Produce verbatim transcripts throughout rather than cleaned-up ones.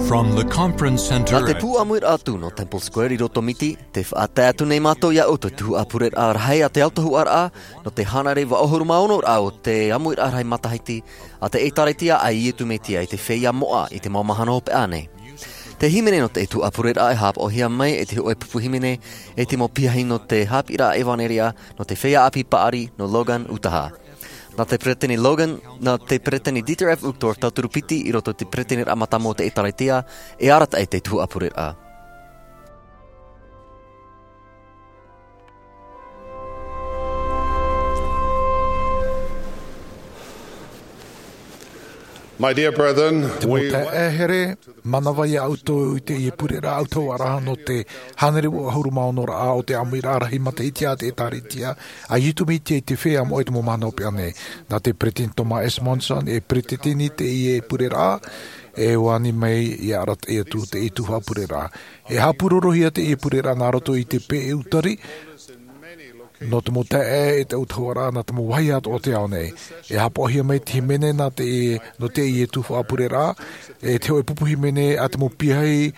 From the conference center. Nā te pū ʻāmuiraʻa atu nō Temple Square i roto Miti, tē faʻatae atu nei mātou iā ʻoutou te tuhaʻa pureraʻa rahi a te autahuʻaraʻa nō te hānere vaʻu ʻahuru mā ono raʻa o te ʻāmuiraʻa rahi matahiti a te ʻĒtārētia a Iesu Mesia i te feiā moʻa i te mau mahana hopeʻa nei. Te hīmene nō te tuhaʻa pureraʻa e haʻapaʻohia mai e te hōʻē pupu hīmene e te mau piahi nō te haʻapiʻiraʻa ʻevanelia nō te feiā ʻāpī paʻari nō Logan, Utaha. Nā te peresideni Logan, nā te peresideni Dieter F. Uchtdorf tauturu piti i roto i te peresideni mātāmua o te ʻĒtārētia, e arataʻi te tuhaʻa pureraʻa. My dear brethren, te mau taeaʻe here, manava iā ʻoutou i teie pureraʻa autahuʻaraʻa nō te hānere vaʻu ʻahuru mā ono raʻa o te ʻāmuiraʻa rahi matahiti a te ʻĒtārētia a Iesu Mesia i te feiā moʻa i te mau mahana hopeʻa nei. Nā te peresideni Thomas S. Monson e peresideni teie pureraʻa, e ani mai ia arataʻi atu teie tuhaʻa pureraʻa. E haʻapūrorohia teie pureraʻa nā roto i te peʻe utari nō te mau taeaʻe e te autahuʻaraʻa nā te mau vāhi atoʻa o te ao nei. E haʻapaʻohia mai te hīmene nā teie, nō teie tuhaʻa pureraʻa, e te hōʻē pupu hīmene a te mau piahi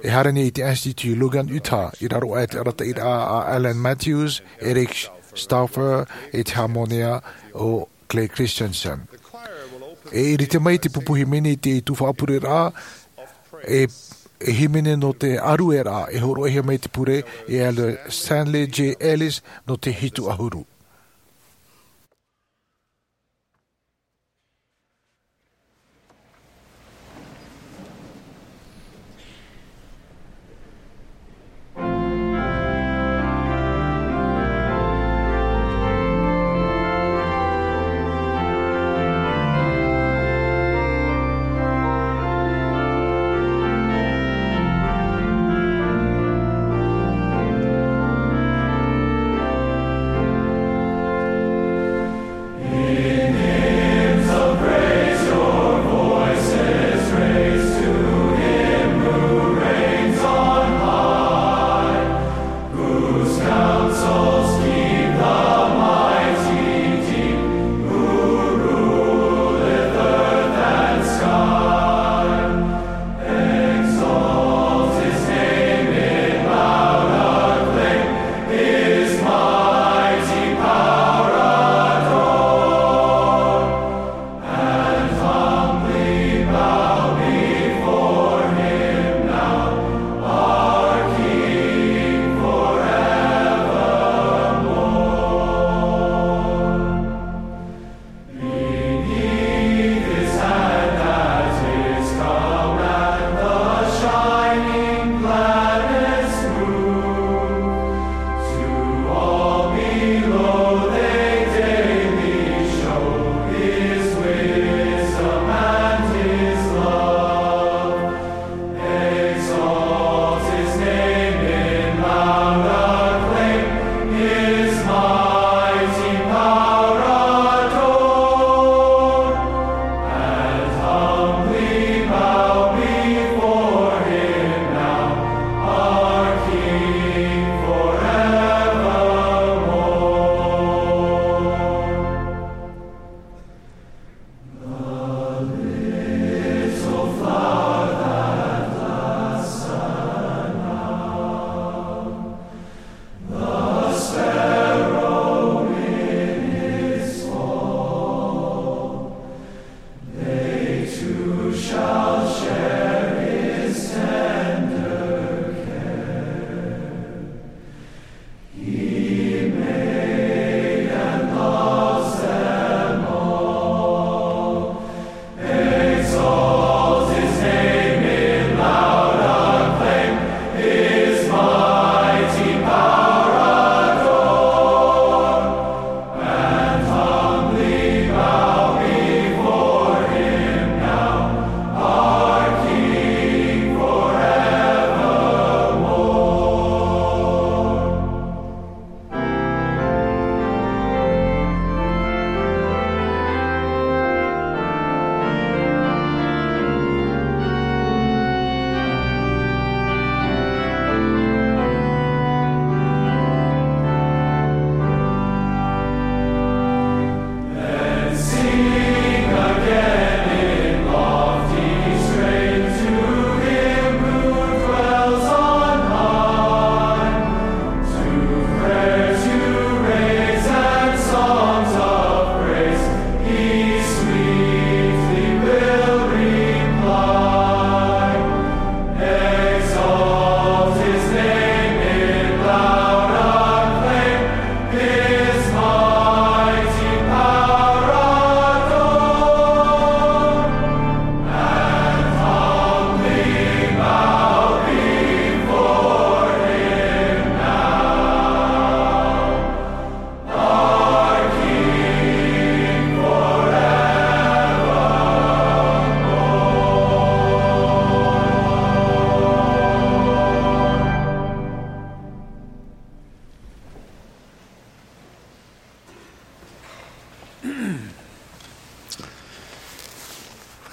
e haere nei i te Institut Logan, Utah, i raro aʻe i te arataʻiraʻa a Allan Matthews, Eric Stauffer, e te hāmonea o Clay Christensen. E ʻirite mai te pupu hīmene i te tuhaʻa pureraʻa, e, e hīmene nō te ʻārueraʻa, e hōroʻahia mai te pure e Elder Stanley J. Ellis nō te hitu ʻahuru.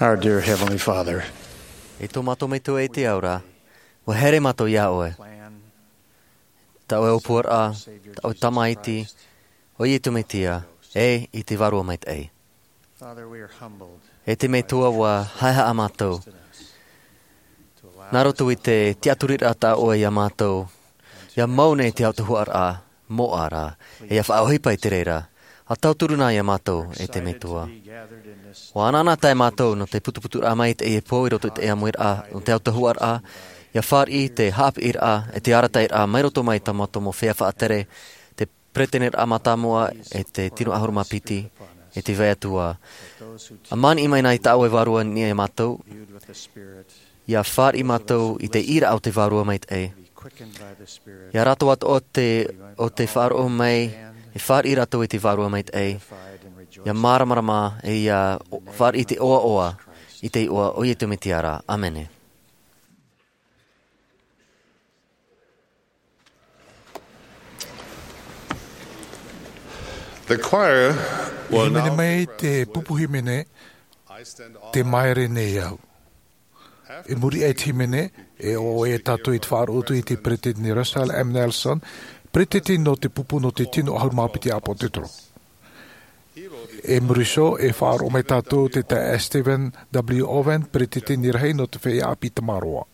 Our dear Heavenly Father, e tō mātou Metua i te ao ra, ʻua haere mātou iā ʻoe. Tā ʻoe ʻōpuaraʻa, tā ʻoe Tamaiti, ʻo Iesu Mesia, e i te Vārua Maitaʻi. Father, we are humbled. E te Metua, ʻua haʻehaʻa mātou. Nā roto i te tiʻaturiraʻa tā ʻoe iā mātou, ʻia mau nei te autahuʻaraʻa moʻa ra, e ʻia faʻaʻohipa i te reira. ʻA tauturu na iā mātou, e te Metua. ʻUa anaanatae mātou nō te putuputuraʻa maitaʻi e pō i roto i te ʻāmuiraʻa, nō te autahuʻaraʻa, ʻia fāriʻi te haʻapiʻiraʻa, e te arataʻiraʻa, mai roto mai tā mātou mau feiā faʻatere, te peretiteniraʻa mātāmua, e te tino ʻahuru mā piti, e te vai atu ā. ʻA maniʻi mai na i tā ʻoe Vārua i niʻa iā mātou, ʻia fāriʻi mātou i te ʻīraʻa o te Vārua Maitaʻi. ʻIa rātou atoʻa te, ʻo tē faʻaroʻo mai, e fāriʻi rātou i te Vārua Maitaʻi. ʻIa māramarama, e ʻia o-, fāriʻi i te ʻoaʻoa, i te iʻoa o Iesu Mesia ra. ʻĀmene. The choir will now hīmene mai te pupu hīmene, Te Māere Nei Au. I muri aʻe i te hīmene, e ʻoaʻoa tātou i te faʻaroʻo atu i te Peretiteni Russell M. Nelson, Peretiteni nō te pupu nō te tino ʻahuru mā piti ʻĀpōsetolo. I muri iho, e faʻaroʻo mai tātou te taeaʻe Stephen W. Owen, Peretiteni Rahi nō te Feiā ʻĀpī Tamaroa.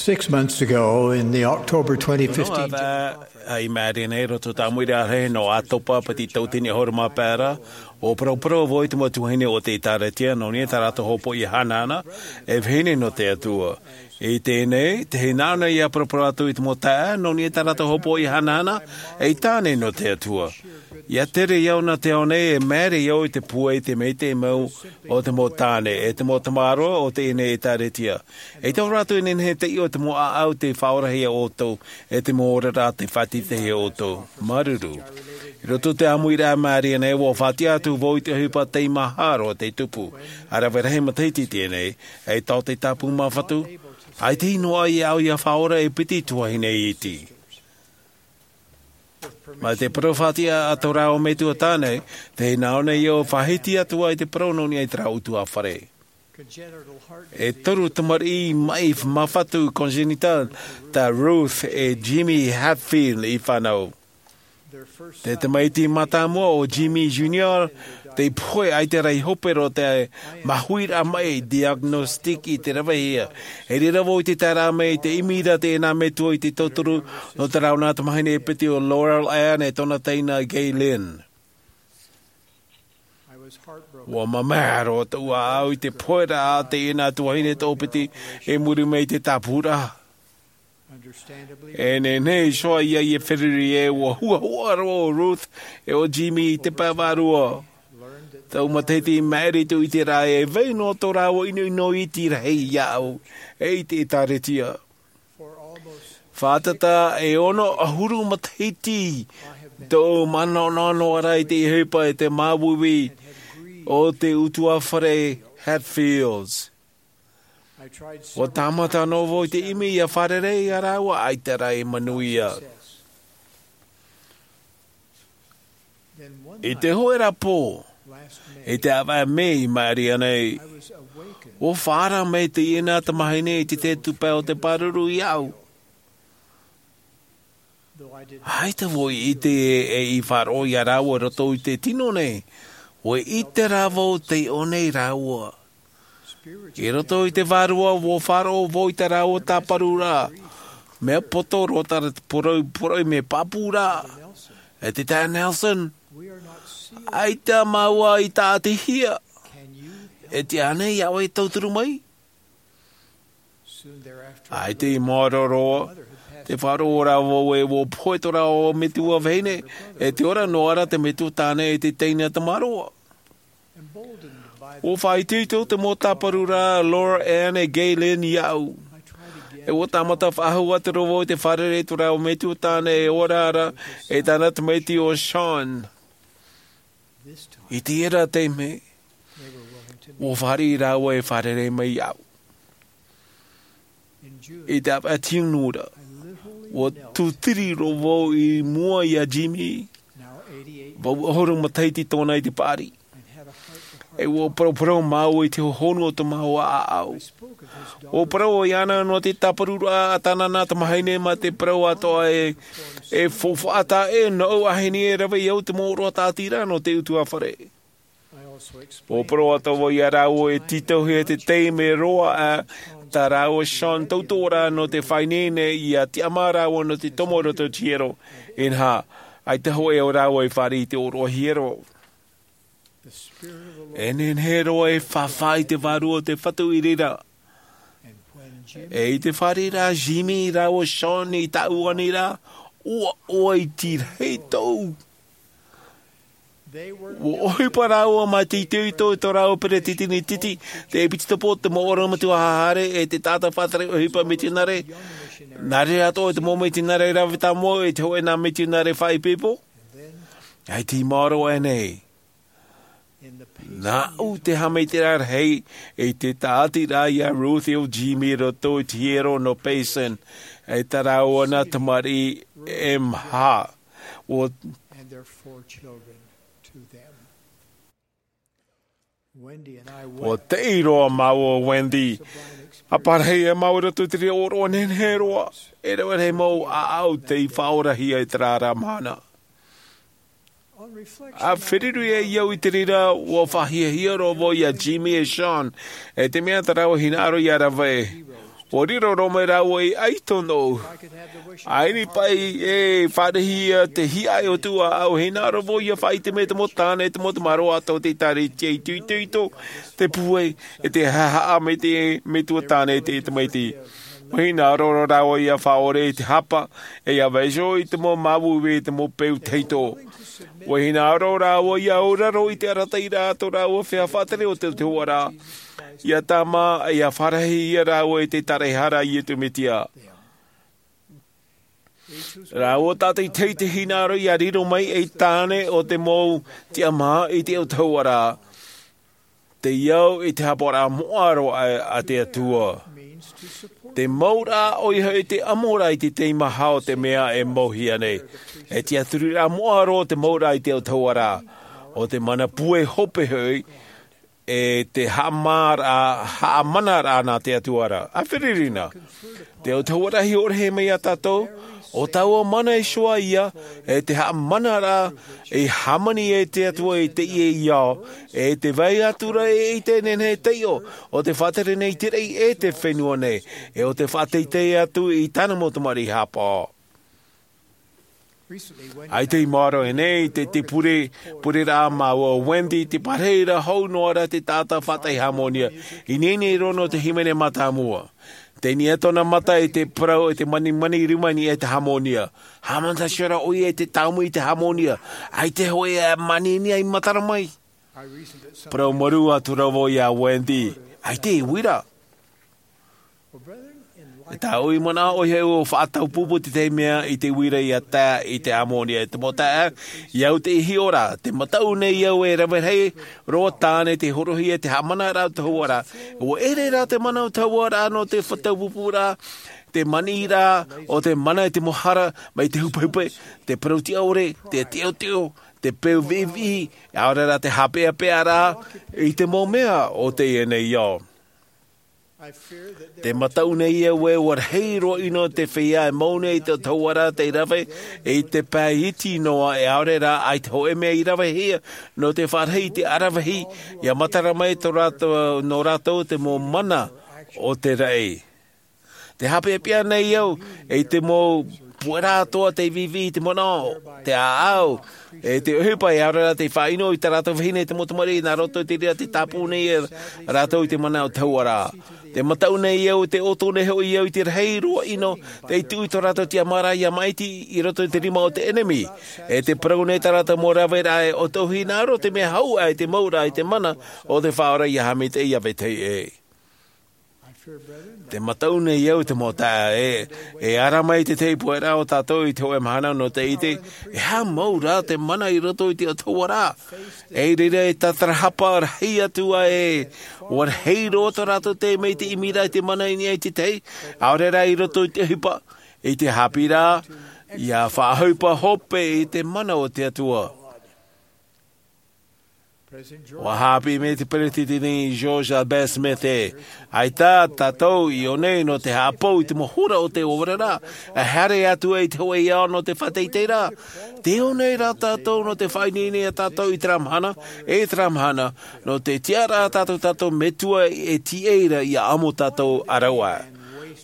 Six months ago, in the October twenty fifteen, ʻAi māere nei roto tāmui rā he nō ʻātopa piti tauatini ʻahuru mā pae ra, ʻua paraparau vau i te mau tuahine o te ʻēkālesia nō niʻa i tā rātou hopoiʻa hanahana, e vahine nō te Atua. I teie nei, te hinaʻaro nei ʻia paraparau atu i te mau taeaʻe nō niʻa i tā rātou hopoiʻa hanahana, e tāne nō te Atua. ʻIa tere au nā te ao nei e māere au i te pūai i te maitaʻi mau o te mau tāne e te mau tamaroa o teie nei ʻēkālesia. E tau rātou e nehenehe te ʻio te mau ʻāʻau te faʻaorahia ʻoutou, e te mau oraraʻa te faʻatītauhia ʻoutou. Māuruuru. I roto i te ʻāmuiraʻa māere nei ʻua faʻatiʻa atu vau i te ʻohipa tei mahara te tupu. ʻA rave rahi matahiti teie nei, e tau te tāpū māfatu, ʻaita i noaʻa iāʻu ʻia faʻaora e piti tuahine iti. Mai te parau faʻatiʻa a tō rāua metua tāne, te hinaʻaro nei ʻia faʻahiti atu ai te parau nō niʻa i te rāua ʻutuāfare. E toru tamariʻi maʻi māfatu congénital, tā Ruth e Jimmy Hatfield i fānau. Te tamaiti mātāmua o Jimmy Junior, tei pohe ʻaita rā i hope roa te mahuiraʻa maʻi diagnostic i te ravehia. E reira vau i te taeraʻa mai i te ʻimi ra teie nā metua i te tauturu nō te rāua nā tamahine e piti o Laurel Ann e tōna teina Gaylene. ʻUa mamae roa tōʻu ʻāʻau i te poheraʻa a teie nā tuahine toʻopiti i muri mai i te tāpūraʻa. E nehenehe iho ā ia feruri ē, ʻua huahua roa ʻo Ruth e ʻo Jimmy i te pae vārua. Tau matahiti i maʻiri tōʻu i te raʻi, e vai noa tō rāua ʻinoʻino iti rahi iāʻu, e i te ʻēkālesia. Fātata e ono ʻahuru matahiti tōʻu manaʻo noa ra i te ʻohipa e te māuiui o te ʻutuāfare Hatfields. ʻUa tāmata noa vau i te ʻimi ʻia fārerei iā rāua, ʻaita rā i manuia. I te hōʻē ra pō, i te ʻāvaʻe Mei i maʻiri aʻe nei, ʻua faʻaara mai teie nā tamahine i te tupuna o te pāruru iāʻu. ʻAita vau i ʻite ē, e i faʻaroʻo iā rāua i roto i te tino nei, ʻua ʻite rā vau tei ʻō nei rāua. I roto i te vārua ʻua faʻaroʻo vau i tā rāua tāparuraʻa, mea poto roa tā rātou poroʻi, poroʻi mea pāpū ra. E te taeaʻe Nelson, ʻaita māua i tāʻatihia. E tiʻa ānei iā ʻoe e tauturu mai? ʻAita i maoro roa, tē faʻaroʻo ra vau ē ʻua pohe tō rāua metua vahine, e te ora noa ra te metua tāne e te teina tamaroa. ʻUa faʻaitoito te mau tāparuraʻa a Laurel Ann e Gaylene iāʻu. E ʻua tāmata faʻahou atu ra vau i te fārerei i tō rāua metua tāne e ora ra, e tāna tamaiti ʻo Sean. I teie ra taime, ʻua fāriʻi rāua e fārerei mai iāʻu. I te ʻāvaʻe Tiunu ra, ʻua tūtiri roa vau i mua iā Jimmy, vau ʻahuru matahiti tōna i te paʻari. E ʻua paraparau māua i te hohonu o tō māua ʻāʻau. ʻUa parau iāna nō te tāparuraʻa a tāna nā tamahine mā te parau atoʻa ē, e faufaʻa taʻa ʻē nōʻu āheni e rave iāʻu te mau ʻōroʻa tāʻatiraʻa nō te ʻutuāfare. ʻUa parau atoʻa vau iā rāua e tītauhia te taime roa aʻe tā rāua Sean tautoʻoraʻa nō te faʻaineine ʻia tiʻamā rāua nō te tomo i roto i te hiero. Inaha, ʻaita hōʻē o rāua i fāriʻi i te ʻōroʻa hiero. E nehenehe roa e fāfā i te Vārua o te Fatu i reira. E i te fāriʻi ra Jimmy rāua Sean i tāʻu ani ra, ʻua ʻoaʻoa iti rahi tōʻu. ʻUa ʻohipa rāua mā te itoito i tō rāua peretiteni titi, te ʻēpitisopo, te mau ʻorometua haʻahaere, e te taʻata faʻatere ʻohipa mitionare. Nā reira atoʻa te mau mitionare rave tāmau, e te hōʻē nā mitionare faʻaipoipo. ʻAita i maoro aʻe nei. Nāʻu te haʻamaitaʻiraʻa rahi i te tāʻatiraʻa iā Ruth e Jimmy i roto i te hiero nō Payson, e tā rāua nā tamariʻi e maha. ʻUa ʻUa teʻi roa māua ʻo Wendy. ʻA parahi e māua i roto i te reira ʻōroʻa nehenehe roa. E rave rahi mau ʻāʻau tei faʻaorahia i terā ra mahana. ʻA feruri ai au i te reira, ʻua faʻahiahia roa vau iā Jimmy e Sean, e te mea tā rāua hinaʻaro ʻia rave. Ua riro roa mai rāua i ʻaito nōʻu. ʻAini paʻi e fāriʻi ia te hiʻa e o tū ʻāʻau, hinaʻaro vau ia faʻaʻite mai te mau tāne, te mau tamaroa atoʻa te ʻēkālesia i tuitoito, te pūai, e te haʻahaʻa mai te metua tāne te tamaiti. Ua hinaʻaro roa rāua ia faʻaʻore i te hapa, e ia vaiho i te mau māuiui, te mau peu tahito. Ua hinaʻaro rāua ia auraro i te arataʻiraʻa tō rāua feiā faʻatere o te, te hoʻaraʻa. Ia tāmā, ia fārahi ia rāua i te tāraehara a Iesu Mesia. Rāua tātaʻitahi te hinaʻaro ia riro mai ei tāne o te mau tiʻamā i te autahuʻaraʻa. Te au i te hapaʻoraʻa moʻa roa a, a te Atua. Te mau rā ʻoia hoʻi te amo rā i te teimaha o te mea e mauhia nei. E tiʻaturiraʻa moʻa roa te mau rā i te autahuʻaraʻa. ʻO te mana pūai hope hoʻi, e te haʻamā rā, haʻamana rā nā te Atua ra. ʻA fererina. Te autahuʻaraʻa hiʻo rahi mai iā tātou, ʻo taua mana iho ā ia, e te haʻamana rā, e hāmani e te Atua i teie ao, e te vai atu ra e ʻite e nehenehe e taiʻo, ʻo te faʻatere nei te raʻi e te fenua nei, e ʻo te faʻateitei atu i tāna mau tamariʻi haʻapaʻo. ʻAita i maoro nei te, te pure, pureraʻa māua o Wendy, te pārahi ra hou noa ra te taʻata faʻataʻi hāmōnia, i nehenehe roa nō te hīmene mātāmua. Teie nei tōna mata i te parau e te manimani rima i niʻa i te hāmōnia. Haʻamanaʻo ra ʻoia i te tāumu i te hāmōnia. ʻAita hoʻi e manihini ai matara mai. Parau marū atu ra vau iā Wendy. ʻAita e uira. E tāʻu i manaʻo ʻoia hoʻi ʻua faʻataupupu te tahi mea i te uira ia tae i te hāmōnia. E te mau taeaʻe, i au te hiʻo ra, te mataʻu nei au e rave rahi roa tāne te horohia te haʻamana rā o te autahuʻaraʻa. ʻUa ʻere rā te mana o te autahuʻaraʻa nō te faʻataupupuraʻa, te maniʻiraʻa, ʻo te mana i te mau hara, mai te hupehupe, te parau tiʻa ʻore, te teʻoteʻo, te peu viʻiviʻi, ʻaore rā te haʻapeʻapeʻaraʻa, i te mau mea o teie nei ao. Te mataʻu nei au ē ʻua rahi roa ʻino te feiā e mau nei i te autahuʻaraʻa tei rave, i te pae iti noa e ʻaore rā ʻaita hōʻē mea i ravehia, nō te fārahi i te aravihi, ia matara mai tō rātou, nō rātou te mau mana o te raʻi. Te haʻapeʻapeʻa nei au, i te mau puʻeraʻa atoʻa tei viʻiviʻi i te manaʻo, te ʻāʻau, e te ʻohipa e ʻaore rā tei faʻaʻino i tā rātou vahine te mau tamariʻi nā roto i te reira tei tāpū nei e rātou i te mana o te autahuʻaraʻa. Te mataʻu nei au, te ʻoto nei hoʻi au i te rahi roa ʻino, tei tuʻu i tō rātou tiʻamāraʻa ia māʻiti i roto i te rima o te ʻenemi. E te parau nei tā rātou mau raveraʻa e ʻo tōʻu hinaʻaro te mea hau aʻe te mau rā i te mana o te Faʻaora ia haʻamaitaʻi ia vetahi ʻē. Te mataʻu nei au te mau taeaʻe, e ara mai te tahi puʻeraʻa o tātou i te hōʻē mahana nō te ʻite, e aha mau rā te mana i roto i te autahuʻaraʻa. I reira e tātarahapa rahi atu ā ē, ʻua rahi roa tō rātou taime i te ʻimiraʻa i te mana i niʻa i te tahi, ʻaore rā i roto i te ʻohipa, i te haʻapiʻiraʻa, ia faʻaʻohipa hope i te mana o te Atua. ʻUa haʻapiʻi mai te Peretiteni George Albert Smith ē, ʻaita tātou i ʻō nei nō te haʻapou i te mau hora o te ʻōvereraʻa, e haere atu ai i te hōʻē ao nō te faʻateiteiraʻa. Tē ʻō nei rā tātou nō te faʻaineine ia tātou i terā mahana, e terā mahana, nō te tiʻaraʻa tātou, tātou Metua e tīaʻi ra ia amo tātou ʻāraʻua.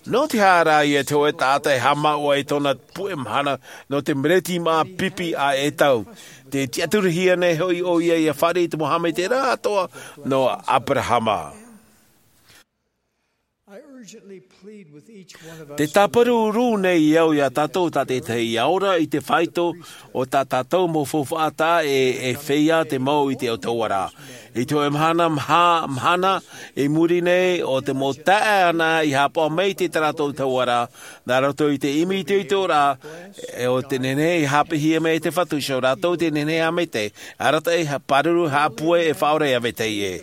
Nō te aha rā ia te hōʻē taʻata e haʻamāuʻa i tōna puʻe mahana nō te mereti māʻa pipi ʻa ʻEtau. Tē tiʻaturihia nei hoʻi ʻoia ia fāriʻi i te mau haʻamaitaʻiraʻa atoʻa nō Aberahama. Te tāparu rū nei au ia tātou tātaʻitahi ia ora i te faito o tā tātou mau faufaʻa taʻa ʻē, e feiā te mau i te autahuʻaraʻa. I te hōʻē mahana, maha, mahana i muri nei, ʻo te mau taeaʻe anaʻe i haʻapaʻo mai i tā rātou autahuʻaraʻa, nā roto i te ʻimi i te itoitoraʻa, e ʻo te nehenehe i haʻapiʻihia mai e te Fatu, ʻo rātou te nehenehe e haʻamaitaʻi, arataʻi, pāruru, haʻapūai, e faʻaora ia vetahi ʻē.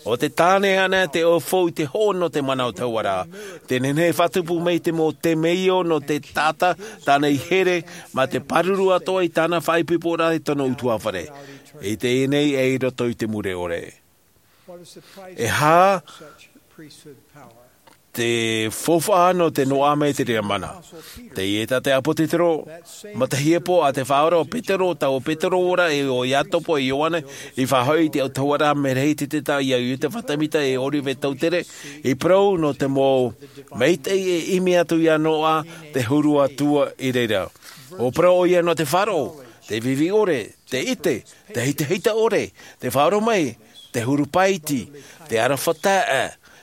ʻO te tāne anaʻe te ʻaufau i te hoʻo nō te mana o te autahuʻaraʻa. Te nehenehe e faʻatupu mai te mau temeio nō te taʻata, tāna i here, mā te pāruru atoʻa i tāna faʻaipoiporaʻa i tōna ʻutuāfare. I teie nei e i roto i te mure ʻore. E aha Te faufaʻa nō te noaʻa mai te reira mana. Teie tā te ʻāpōsetolo, matahiti pō a te faʻaora o Petero, taua Petero ora e o Iakobo e Ioane, i faʻahoʻi i te autahuʻaraʻa Merehitete ia Iosepha Semita e Oliver Cowdery, i parau nō te mau maitaʻi e ʻimi atu ia noaʻa te huru atu i reira. ʻO parau ʻoia nō te faʻaroʻo, te vivi ʻore, te ʻite, te hitahita ʻore, te faʻaroʻo mai, te huru paiti, te aroha taʻa,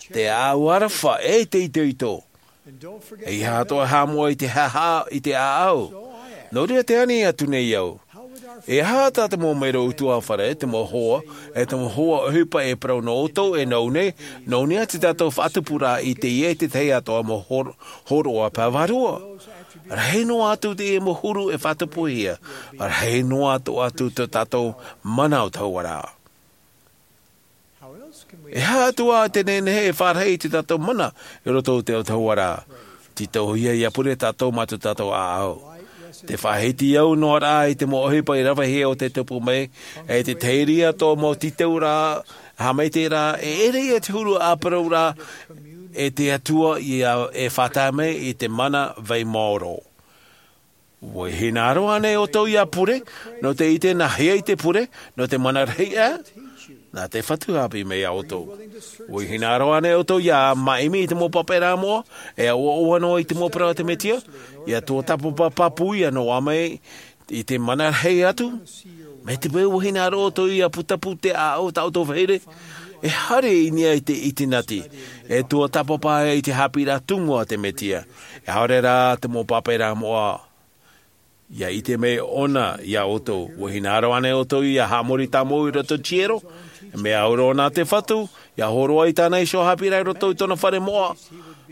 te ʻāʻau aroha, e te itoito. E ʻeiaha atoʻa e haʻamoʻa i te haʻahaʻa i te ʻāʻau. Nō reira tē ani atu nei au. E aha tā te mau mero ʻutuāfare, te mau hoa, e te mau hoa ʻohipa e parau nō ʻoutou e nō nei, nō nei ā te tātou faʻatupuraʻa i teie e te tahi atoʻa mau hor-, hōroʻa pae vārua. Rahi noa atu teie mau huru e faʻatupuhia, rahi noa atu atu tō tātou mana autahuʻaraʻa. E aha atu ā te nehenehe e faʻarahi i tō tātou mana i roto i te autahuʻaraʻa? Tītauhia ia pure tātou mā tō tātou ʻāʻau. Te faʻahiti au noa rā i te mau ʻohipa i ravehia o te tupu mai, e te tahi atoʻa mau tītauraʻa, haʻamaitaʻiraʻa, e ʻere ia te huru ʻāparauraʻa, e te Atua ia e faʻatae mai i te mana vai maoro. ʻUa hinaʻaro ānei ʻoutou ia pure, nō te ʻite nā hea i te pure, nō te mana rahi ā, nā te Fatu haʻapiʻi mai ia ʻoutou. ʻUa hinaʻaro ānei ʻoutou ia māʻimi i te mau pāpaʻiraʻa moʻa, e ʻoaʻoa noa i te mau parau a te Mesia, ia tuatāpapa pāpū ia noaʻa mai i te mana rahi atu. Mai te peu ʻua hinaʻaro ʻoutou ia putapū te ʻāʻau tā ʻoutou vahine, e haere i niʻa i te ʻitinati, e tuatāpapa i te haʻapiʻiraʻa tumu a te Mesia. E haere rā te mau pāpaʻiraʻa moʻa, ia ʻite mai ʻōna ia ʻoutou. ʻUa hinaʻaro ānei ʻoutou ia haʻamori tāmau i roto i te hiero, e mea au roa nā te Fatu, ia hōroʻa i tāna iho haʻapiʻiraʻa i roto i tōna fare moʻa,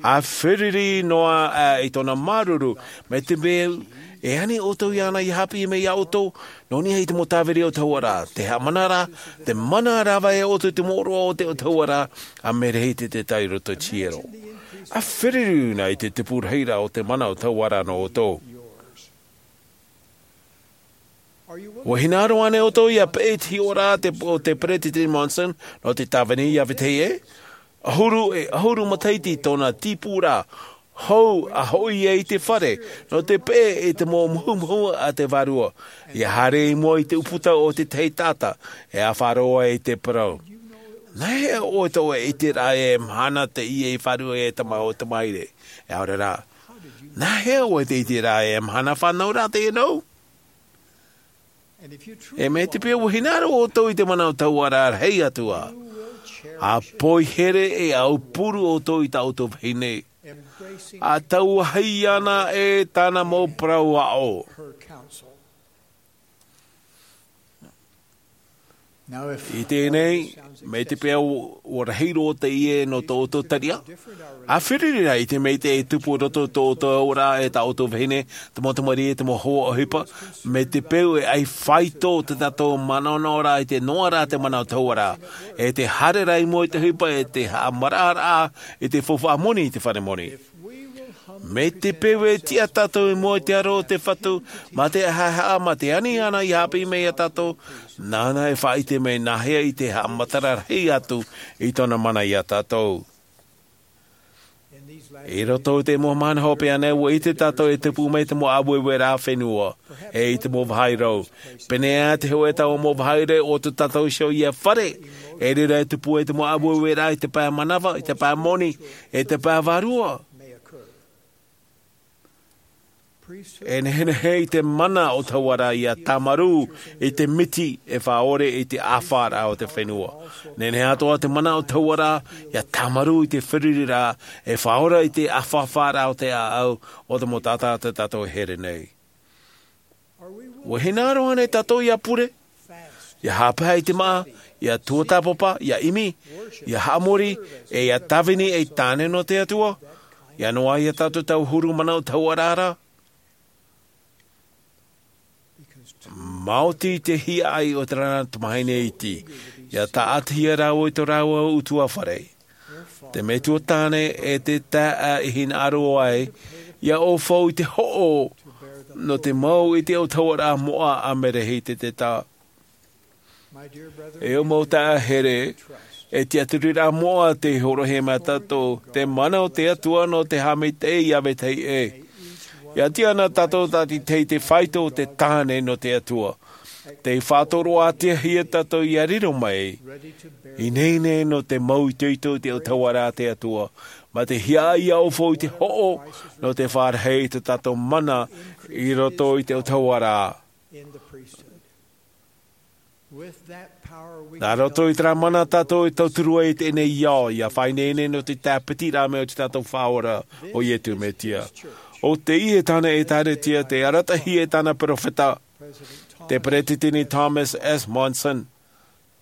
ʻa feruri noa ā i tōna māuruuru, mai te peu e ani ʻoutou iāna ia haʻapiʻi mai ia ʻoutou, nō niʻa i te mau tāviri autahuʻaraʻa, te haʻamanaraʻa, te mana rāveʻa ia ʻoutou i te mōroʻa o te autahuʻaraʻa, ʻa Merehitete i roto i te hiero. ʻA feruri nā i te tupu rahiraʻa o te mana autahuʻaraʻa nō ʻoutou. ʻUa hinaʻaro ānei ʻoutou ia peʻe i te hiʻoraʻa te, o te Peresideni Monson nō te tāvini ia vetahi ʻē? ʻAhuru e, ʻahuru matahiti tōna tīpūraʻa hou a hoʻi ai i te fare, nō te peʻe i te mau muhumuhu a te Vārua. Ia haere i mua i te ʻūputa o te tahi taʻata, e ʻāfaʻi roa i te parau. Nā hea ʻoe tō ʻoe ʻiteraʻa e mahana teie i fārua e te mau tamāhine? E ʻaore rā. Nā hea ʻoe tē ʻite ra e mahana fānauraʻa teie nō? E mai te peu ʻua hinaʻaro ʻoutou i te mana autahuʻaraʻa rahi atu ā, ʻa poihere e ʻaupuru ʻoutou i tā ʻoutou vahine, ʻa tauahi iāna e tāna mau parau aʻo. I teie nei, mai te peu ʻua rahi roa teie nō tō ʻoutou tariʻa, ʻa feruri rā i te maitaʻi e tupu i roto i tō ʻoutou auraʻa e tā ʻoutou vahine, te mau tamariʻi, te mau hoa ʻohipa, mai te peu e ʻaita faʻaitoito tā tātou manaʻonaʻoraʻa i te noaʻa ra te mana autahuʻaraʻa, e te haere ra i mua i te ʻohipa, e te haʻamaraʻaraʻa i te faufaʻa moni i te fare moni. Mai te peu e tiʻa tātou i mua i te aro o te Fatu, mā te haʻehaʻa, mā te ani iāna i haʻapiʻi mai ia tātou, nāna e faʻaʻite mai nā hea i te haʻamatara rahi atu i tōna mana ia tātou. I roto i te mau mahana hopeʻa nei, ʻua ʻite tātou e tupu mai te mau ʻāueueraʻa fenua, e i te mau vāhi rau. Pēneiaʻe te hōʻē taua mau vāhi rau o tō tātou iho ia fare, e reira e tupu ai te mau ʻāueueraʻa i te pae manava, i te pae moni, i te pae vārua. E nehenehe i te mana autahuʻaraʻa ia tāmarū i te miti e faʻaʻore i te ʻāfaʻaraʻa o te fenua. Nehenehe atoʻa te mana autahuʻaraʻa ia tāmarū i te feruriraʻa e faʻaora i te ʻāfaʻaraʻa o te ʻāʻau o te mau taʻata tā tātou e here nei. ʻUa hinaʻaro ānei tātou ia pure, ia haʻapae i te māʻa, ia tuatāpapa, ia ʻimi, ia haʻamori, e ia tāvini ei tāne nō te Atua, ia noaʻa ia tātou taua huru mana autahuʻaraʻa ra? Maoti te hiaʻai o terā tamāhine iti, ia tāʻatihia rāua i tō rāua ʻutuāfare. Te metua tāne e te taeaʻe i hinaʻaro ai, ia ʻaufau i te hoʻo nō te mau i te autahuʻaraʻa moʻa a Merehitete. E ʻo mau taeaʻe here, e tiʻaturiraʻa moʻa te horoʻahia mai tātou, te mana o te Atua nō te haʻamaitaʻi i te vetahi ʻē. ʻIa tiʻa na tātou tā te tahi te faito o te tāne nō te Atua. Tei faʻatoroʻahia tātou ʻia riro mai, ineine nō te mau itoito i te ʻautahuaraʻa a te Atua, mā te hiaʻai ʻia ʻōfou i te hoʻo nō te fāriʻi i tā tātou mana i roto i te ʻautahuaraʻa. Nā roto i terā mana tātou e tauturu ai i teie nei ao, ʻia faʻaineine nō te tāpitiraʻa mai o te tātou Faʻaora, ʻo Iesu Mesia. ʻO teie tāne ʻĒkālesia tei arataʻihia e tāna peropheta, te Peresideni Thomas S. Monson,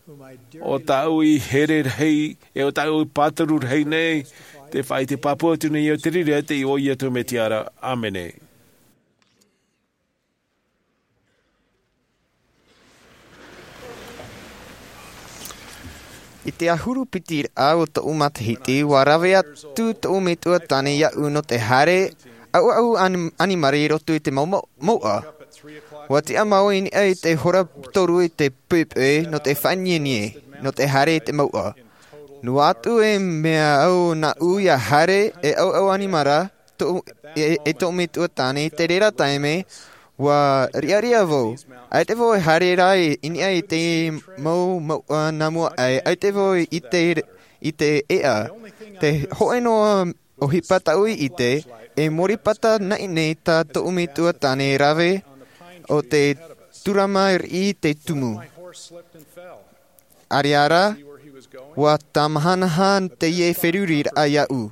ʻo tāʻu i here rahi, e ʻo tāʻu i pāturu rahi nei, tē faʻaʻite pāpū atu nei au i te reira i te iʻoa o Iesu Mesia ra. ʻĀmene. I te ʻahuru piti raʻa o tōʻu matahiti, ʻua rave atu tōʻu metua tāne iāʻu nō te haere ʻauʻau ani-, ʻanimara i roto i te mau-, mau-, mouʻa. ʻUa tiʻa māua i niʻa i te hora toru i te poʻipoʻi nō te faʻanienieʻa, nō te haere i te mouʻa. Noa atu e mea au nāʻu ʻia haere e ʻauʻau ʻanimara, tō-, e, e tōʻu metua tāne, i te reira taime, ʻua riʻariʻa vau. ʻAita vau e haere ra i, i niʻa i te mau mouʻa nā mua aʻe, ʻaita vau i ʻite, i te ʻēʻa. Te hōʻē noa ʻohipa tāʻu i ʻite, e mōripata naʻinaʻi tā tōʻu metua tāne rave ʻo te turama riʻi i te tumu. ʻAreʻa rā, ʻua tāmahanaha teie feruriraʻa iāʻu.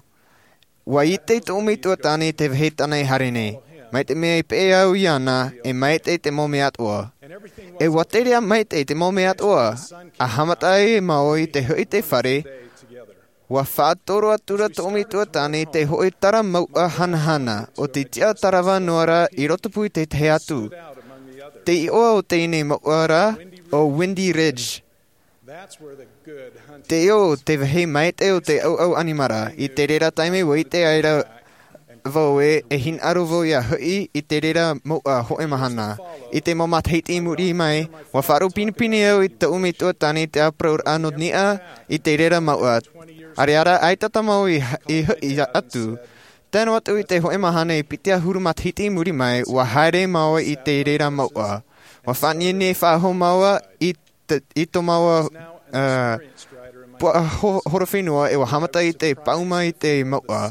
ʻUa ʻite tōʻu metua tāne te vāhi tāna i haere nei. Mai te mea i peʻe au iāna, e maitaʻi te mau mea atoʻa. E ʻua tere ā maitaʻi te mau mea atoʻa, ʻa haʻamata ai māua i te hoʻi i te fare, ʻua faʻatoro atu ra tōʻu metua tāne i te hōʻē tara mouʻa hanahana, ʻo te tiʻa tarava noa ra i rotopū i te tahi atu. Te iʻoa o teie nei mouʻa ra, ʻo Windy Ridge. Teie te vāhi maitaʻi o te ʻauʻau ʻanimara. I te reira taime ʻua ʻite ai ra vau ē, e hinaʻaro vau ʻia hoʻi i te reira mouʻa hōʻē mahana. I te mau matahiti i muri mai, ʻua faʻaroʻo pinepine au i tōʻu metua tāne i te ʻāparauraʻa nō niʻa i te reira mouʻa. ʻAreʻa rā, ʻaita tā māua i, i hoʻi atu. Tae noa atu i te hōʻē mahana e piti ʻahuru matahiti i muri mai, ʻua haere māua i te reira mouʻa. ʻUa faʻanienieʻa faʻahou māua i te, i tō māua, ā, puaʻa ho-, horowhenua, e ʻua haʻamata i te paʻuma i te mouʻa.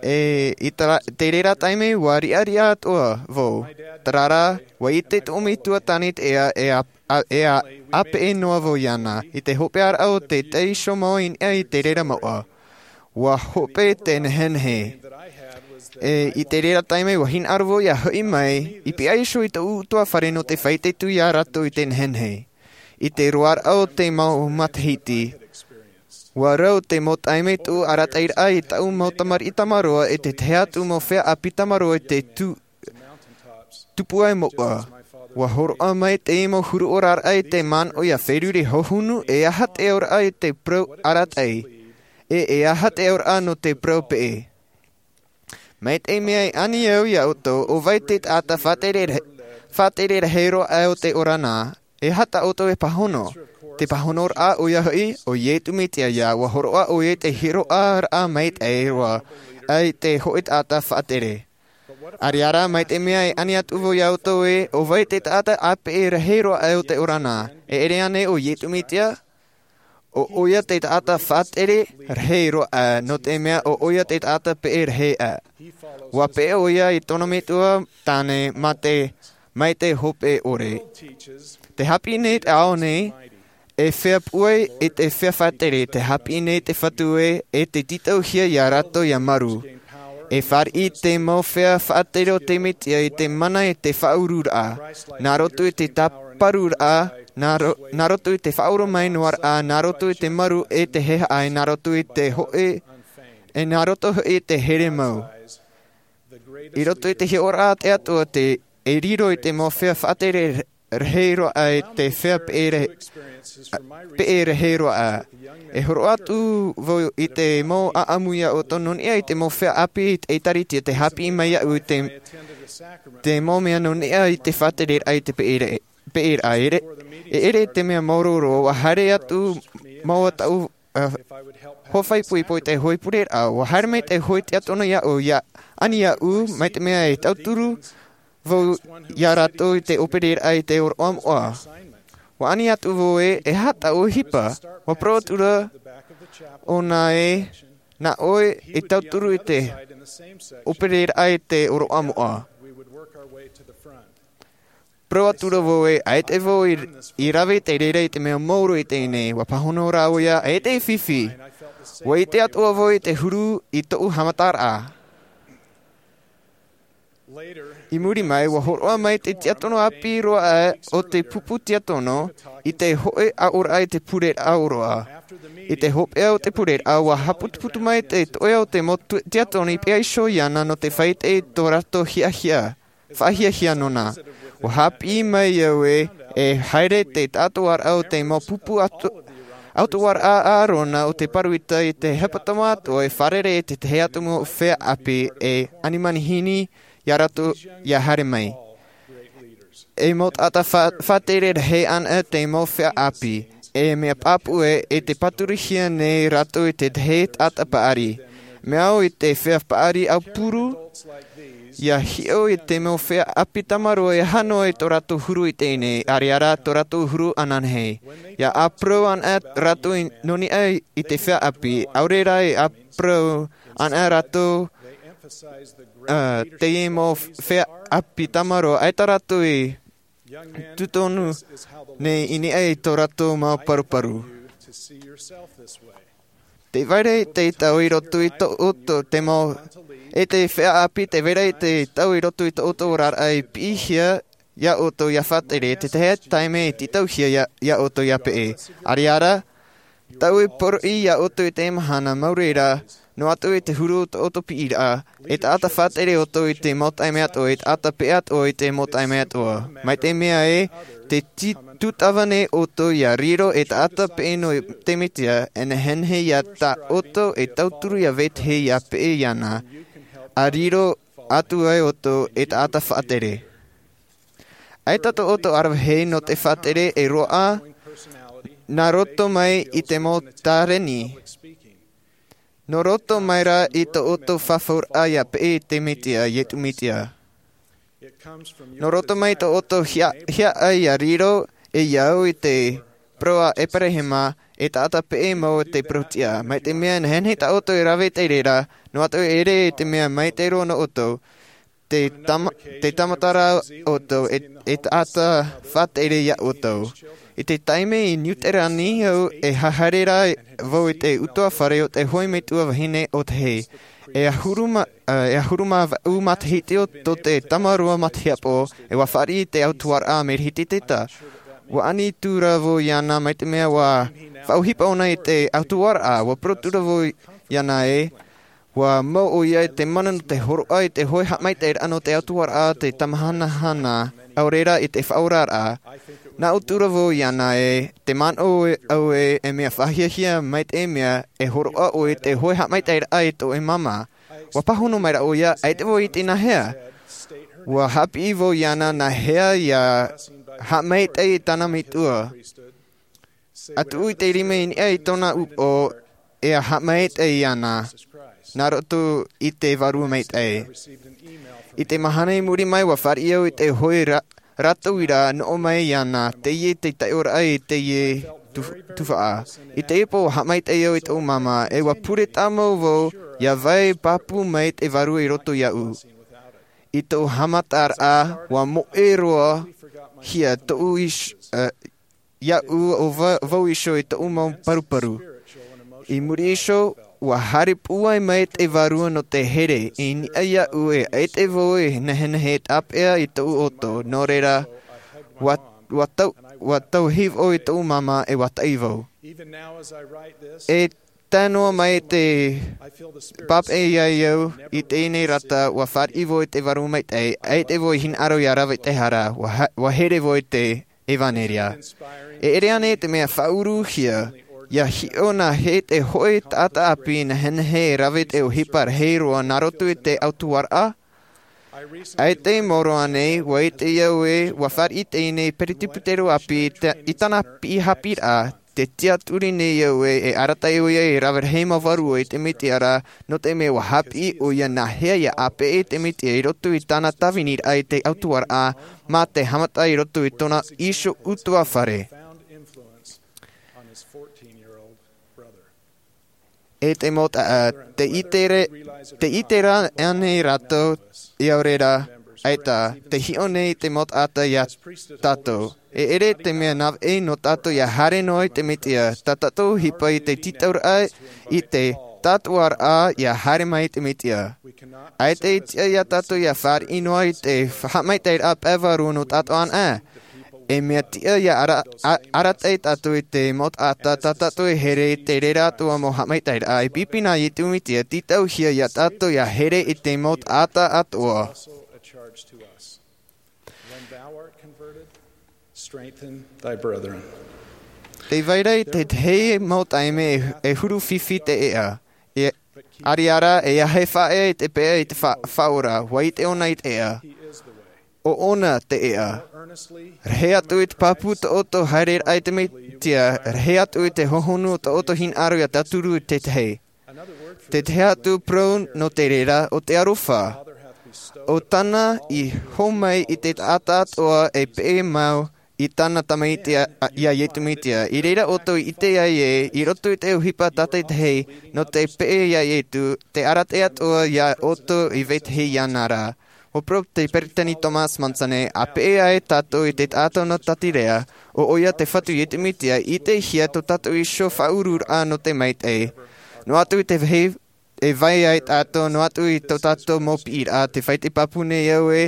E, i te ra-, te reira taime ʻua riʻariʻa atoʻa vau. Terā rā, ʻua ʻite tōʻu metua tāne i te ʻēʻa, e ʻa, ʻa, e ʻa, ʻāpeʻe noa vau iāna. I te hopeʻaraʻa o te tahi iho mau i niʻa i te reira mouʻa, ʻua hope te nehenehe. E, i te reira taime ʻua hinaʻaro vau ʻia hoʻi mai, i pihaʻi iho i tōʻu ʻutuāfare nō te faʻaʻite atu ia rātou i te nehenehe. I te roaraʻa o te mau matahiti, ʻua rau te mau taime tōʻu arataʻiraʻa i tāʻu mau tamariʻi tamaroa e te tahi atu mau feiā ʻāpī tamaroa i te tu-, tupu ai mouʻa. ʻUa hōroʻa mai te mau huru ʻoraraʻa i te manaʻo ʻia feruri hohonu, e aha te auraʻa i te parau arataʻi, e, e aha te auraʻa nō te parau peʻe. Mai te mea i ani au ia ʻoutou, ʻo vai te taʻata faʻatere rahi, faʻatere rahi roa aʻe o te ora na, e aha tā ʻoutou e pāhono? Te pāhonoraʻa ʻoia hoʻi, ʻo Iesu Mesia ïa, ʻua hōroʻa ʻoia i te hiʻoraʻa maitaʻi roa, ʻa i te hōʻē taʻata faʻatere. ʻAreʻa rā, mai te mea i ani atu vau ia ʻoutou ē, ʻo vai te taʻata ʻāpeʻe rahi roa aʻe o te ora na, e ʻere ānei ʻo Iesu Mesia? ʻO ʻoia te taʻata faʻatere rahi roa aʻe, nō te mea ʻo ʻoia te taʻata peʻe rahi aʻe. ʻUa peʻe ʻoia i tōna metua tāne mā te, mai te hope ʻore. Tē haʻapiʻi nei te ao nei, e feiā pūai, e te feiā faʻatere, tē haʻapiʻi nei te Fatu ē, e tē tītauhia ia rātou ʻia marū. E fāriʻi te mau feiā faʻatere o te Mesia i te mana i te faʻaururaʻa, nā roto i te tāparuraʻa, nā ro-, nā roto i te faʻaoromaʻi noa raʻa, nā roto i te marū e te haʻehaʻa, nā roto i te hōʻē, e nā roto hoʻi i te here mau. I roto i te hiʻoraʻa a te Atua te, e riro i te mau feiā faʻatere rahi roa aʻe i te feiā peʻe rahi, peʻe rahi roa aʻe. E hōroʻa atu vau i te mau ʻāʻamu ia ʻoutou nō niʻa i te mau feiā ʻāpī i te ʻĒtārētia tē haʻapiʻi mai iāʻu i te, te mau mea nō niʻa i te faʻatereraʻa i te peʻe rahi. peʻeraʻa. E ʻere i te mea māuruuru, ua haere atu mau a taʻu, ā, hoa faʻaipoipo i te hōʻē pureraʻa. Ua haere mai te hōʻē tiakono iāʻu, ʻia ani iāʻu, mai te mea e tauturu vau iā rātou i te ʻōpereraʻa i te ʻōroʻa moʻa. Ua ani atu vau ē, e aha taʻu ʻohipa? Ua parau atu ra ʻōna ē, nā ʻoe e tauturu i te ʻōpereraʻa i te ʻōroʻa moʻa. Parau atu ra vau ē, ʻaita vau i, i rave i te reira i te mea māuruuru i teie nei. Ua pāhono rā ʻoia, ʻaita e fifi. Ua ʻite atoʻa vau i te huru i tōʻu haʻamataraʻa. I muri mai, ua hōroʻa mai te tiakono ʻāpī roa aʻe o te pupu tiakono i te hōʻē aʻoraʻa i te pureraʻa ʻōroʻa. I te hopeʻa o te pureraʻa, ua haʻaputuputu mai te toʻe o te mau tu-, tiakono i peʻe iho iāna nō te faʻaʻite i tō rātou hiahia, faʻahiahia nōna. Ua haʻapiʻi mai au ē, e haere te taʻatoʻaraʻa o te mau pupu atu-, ʻautuaraʻa a ʻĀrona o te Paruita i te hepetoma atoʻa e fārerei i te tahi atu mau feiā ʻāpī e ani manihini iā rātou ʻia haere mai. E mau taʻata fa-, faʻatere rahi anaʻe te mau feiā ʻāpī, e mea pāpū ē, e te pāturuhia nei rātou i te tahi taʻata paʻari. Mea au i te feiā paʻari aupuru, ʻia hiʻo i te mau feiā ʻāpī tamaroa e hano i tō rātou huru i teie nei, ʻaore rā tō rātou huru ananahi. ʻIa ʻāparau anaʻe rātou i, nō niʻa i te feiā ʻāpī, ʻaore rā e ʻāparau anaʻe rātou, ā, teie mau feiā ʻāpī tamaroa, ʻaita rātou i tūtonu nei i niʻa i tō rātou mau paruparu. Tē vai ra te tau i roto i tō ʻoutou, te mau, e te feiā ʻāpī, tē vai ra te tau i roto i tō ʻoutou oraraʻa i piʻihia iā ʻoutou ʻia faʻatere, te tahi taime e tītauhia iā, iā ʻoutou ʻia peʻe. ʻAore rā, tāʻu e poroʻi iā ʻoutou i teie mahana, mau reira, noa atu i te huru o tō ʻoutou piʻiraʻa, e taʻata faʻatere ʻoutou i te mau taime atoʻa, e taʻata peʻe atoʻa i te mau taime atoʻa. Mai te mea ē, tē tū-, tūtava nei ʻoutou ʻia riro ei taʻata peʻe nō te Mesia, e nehenehe iā tā ʻoutou e tauturu ʻia vetahi ʻia peʻe iāna, ʻa riro atu ai ʻoutou ei taʻata faʻatere. ʻAita tō ʻoutou aravihi nō te faʻatere e roaʻa, nā roto mai i te mau tāreni. Nō roto mai rā i tō ʻoutou fafauraʻa ʻia peʻe i te Mesia, Iesu Mesia. Nō roto mai tō ʻoutou hia-, hiaʻai ʻia riro, e ʻia au i te parau a ʻEperahama, e taʻata peʻe mau te parauʻtiʻa. Mai te mea nehenehe tā ʻoutou e rave i te reira, noa atu e ʻere i te mea maitaʻi roa nō ʻoutou, te tama-, te tāmata ra ʻoutou e, e taʻata faʻatere iā ʻoutou. I te taime i Niu Tirani au e haere ra vau i te ʻutuāfare o te hōʻē metua vahine ʻōtahi. E ʻahuru mā, e ʻahuru mā vaʻu matahiti o tō te tamaroa matahiapo, e ua fāriʻi i te ʻautuaraʻa Amerika Tētā. Ua ani atu ra vau iāna mai te mea ua faʻaʻohipa ʻōna i te ʻautuaraʻa, ua parau atu ra vau iāna ē, ua mau ʻoia i te mana nō te hōroʻa i te hōʻē haʻamaitaʻiraʻa nō te ʻautuaraʻa, te tamahanahana, ʻaore rā i te faʻaoraraʻa. Nā ʻō atu ra vau iāna ē, tē manaʻo au ē, e mea faʻahiahia mai te mea e hōroʻa ʻoe i te hōʻē haʻamaitaʻiraʻa i tō ʻoe māmā. Ua pāhono mai ra ʻoia, ʻaita vau i ʻite nā hea. Ua haʻapiʻi vau iāna nā hea ʻia haʻamaitaʻi i tāna metua. ʻA tuʻu i te rima i niʻa i tōna upoʻo, e ʻia haʻamaitaʻi iāna, nā roto i te Vārua Maitaʻi. I te mahana i muri mai, ua fāriʻi au i te hōʻē ra-, rātou uiraʻa nō mai iāna, teie te taiʻoraʻa i teie tu-, tuhaʻa. I teie pō, ua haʻamaitaʻi au i tōʻu māmā, e ua pure tāmau vau, ʻia vai pāpū mai te Vārua i roto iāʻu. I tōʻu haʻamataraʻa, ua moʻe roa hia tōʻu iš-, eh, iāʻu ʻo va-, vau iho i tōʻu mau paruparu. I muri iho, ua haere pūai mai te Vārua nō te here, i niʻa iāʻu e ʻaita vau e nehenehe e tāpeʻa i tōʻu ʻoto, nō reira, ua, ua tau, ua tauihaʻa vau i tōʻu māmā e ua taʻi vau. E tae noa mai te pāpaʻi iā ʻoe i teie nei rata, ua fāriʻi vau i te Vārua Maitaʻi, ʻaita vau i hinaʻaro ʻia rave i te hara, ua ha-, ua here vau i te ʻevanelia. E ʻere ānei te mea faʻauruhia, ʻia hiʻo nā hea te hōʻē taʻata ʻāpī nehenehe e rave te ʻohipa rahi roa nā roto i te ʻautuaraʻa? ʻAita i maoro aʻe nei, ʻua ʻite au ē, ʻua fāriʻi teie nei peretiteni ʻāpī i te, i tāna piʻi haʻapiʻiraʻa, tē tiʻaturi nei au ē, e arataʻi ʻoia e rave rahi mau vārua i te Mesia ra, nō te mea ʻua haʻapiʻi ʻoia nā hea ʻia ʻāpeʻe i te Mesia i roto i tāna tāviniraʻa i te ʻautuaraʻa, mā te haʻamata i roto i tōna iho ʻutuāfare. E te mau taʻata, tē ʻite ra, tē ʻite ra aʻe nei rātou, ʻia ʻore ra, ʻaita, tē hiʻo nei te mau taʻata ia tātou. E ʻere te mea nāvaʻi nō tātou ʻia haere noa i te Mesia, tā tātou ʻohipa i te tītauraʻa i te tātuaraʻa ʻia haere mai i te Mesia. ʻAita e tiʻa ia tātou ʻia fāriʻi noa i te haʻamaitaʻiraʻa pae vārua nō tātou anaʻe. E mea tiʻa ʻia ara-, a-, arataʻi tātou i te mau taʻata, tā tātou e here i te reira atoʻa mau haʻamaitaʻiraʻa, e pīpī na Iesu Mesia, tītauhia ia tātou ʻia here i te mau taʻata atoʻa. When thou art converted, strengthen thy brethren. Tē vai ra i te tahi mau taime e, e huru fifi te ʻēʻa. E, ʻariʻa rā, e ʻaita e faʻaea i te peʻa i te fa-, Faʻaora, ʻua ʻite ʻōna i te ʻēʻa. ʻO ʻōna te ʻēʻa. Rahi atu i te pāpū tō ʻoutou haereraʻa i te Mesia, rahi atu i te hohonu o tō ʻoutou hinaʻaro ʻia tauturu i te tahi. Te tahi atu parau nō te reira, ʻo te aroha. ʻO tāna i hōmai i te taʻata atoʻa e peʻe mau i tāna Tamaiti a, a, ia Iesu Mesia. I reira ʻoutou i ʻite ai ē, i roto i te ʻohipa tātaʻitahi, nō te peʻe ia Iesu, te arataʻi atoʻa ia ʻoutou i vetahi iāna ra. ʻUa parau te Peretiteni Thomas Monson ē, ʻa peʻe ai tātou i te taʻata nō Tātiri, ʻo ʻoia te Fatu Iesu Mesia, ʻitehia tō tātou iho faʻauruʻraʻa nō te maitaʻi. Noa atu i te vāhi e vai ai tātou, noa atu i tō tātou mau piʻiraʻa, tē vai te pāpū nei au ē,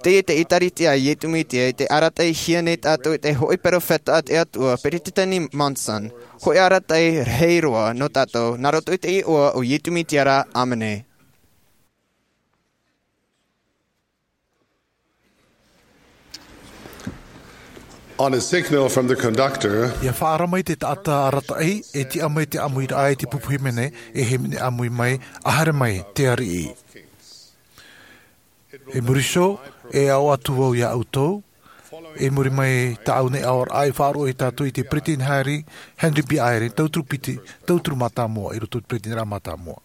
teie te ʻĒkālesia a Iesu Mesia, tē arataʻihia nei tātou e te hōʻē peropheta a te Atua, Peretiteni Monson, hōʻē arataʻi rahi roa nō tātou, nā roto i te iʻoa o Iesu Mesia ra, ʻāmene. On a signal from the conductor, ʻIa faʻaara mai te taʻata arataʻi, e tiʻa mai te ʻāmuiraʻa i te pupu hīmene, e hīmene ʻāmui mai, ʻa haere mai te ariʻi. I muri iho, e aʻo atu vau ia ʻoutou, i muri mai tāʻu nei aʻoraʻa e faʻaroʻo ia tātou i te Peretiteni Henry, Henry B. Eyring, tauturu piti, tauturu mātāmua, i roto i te Peretiteniraʻa mātāmua.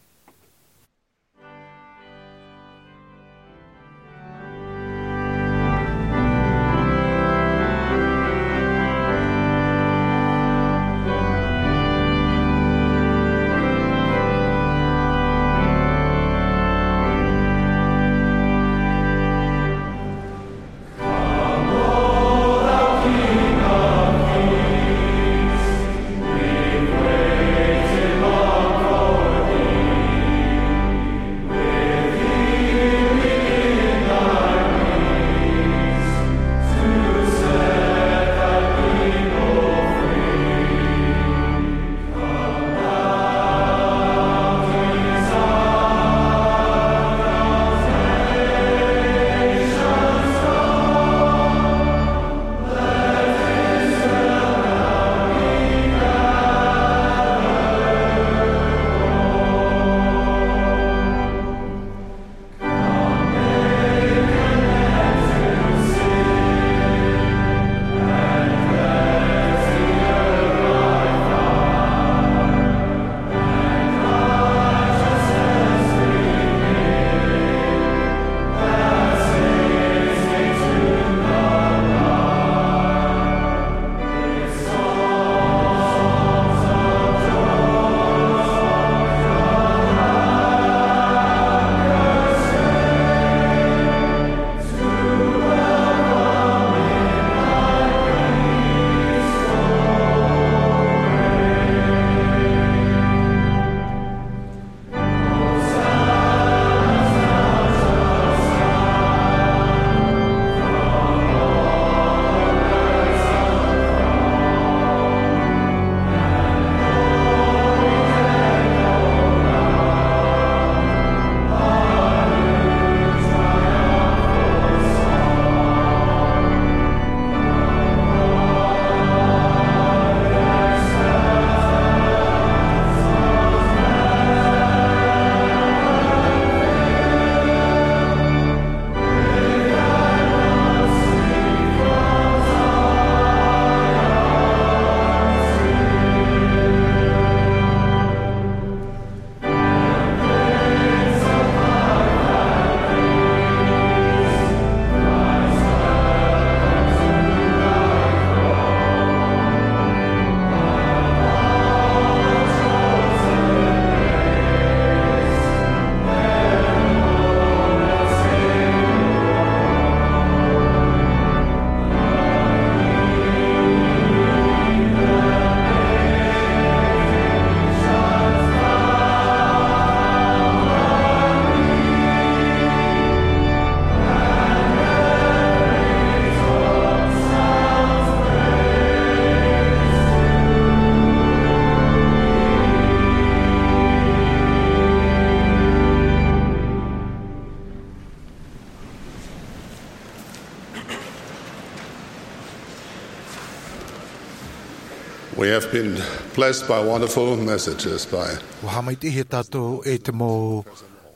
I've been blessed by wonderful messages by ua haʻamaitaʻihia tātou e te mau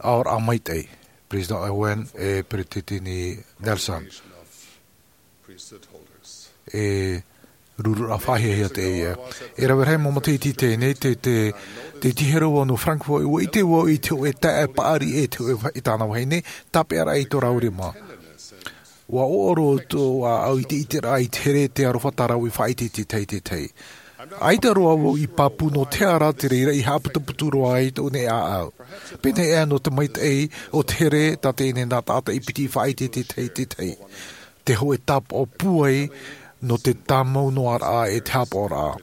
aʻoraʻa maitaʻi, President Owen e Peretiteni Nelson. E rururaʻa faʻahiahia teie. E rave rahi mau matahiti i teie nei, te, te, te tihi roa nō Frankfurt, ua ʻite vau i te hōʻē taeaʻe paʻari e te hōʻē, i tāna vahine, tāpeʻaraʻa i tō rāua rima. Ua ʻoaʻoa roa tō ʻāʻau i te ʻiteraʻa i te here, te aroha, tā rāua i faʻaʻite i te tahi, te tahi. ʻAita roa vau i pāpū nō te aha rā te reira i haʻaputuputu roa ai tōʻu nei ʻāʻau. Pēnei aʻe nō te maitaʻi o te here, tā teie nei nā taʻata i piti i faʻaʻite i te tahi, te tahi. Te hōʻē tāpaʻo pūai nō te tāmau noa raʻa e te haʻapaʻoraʻa.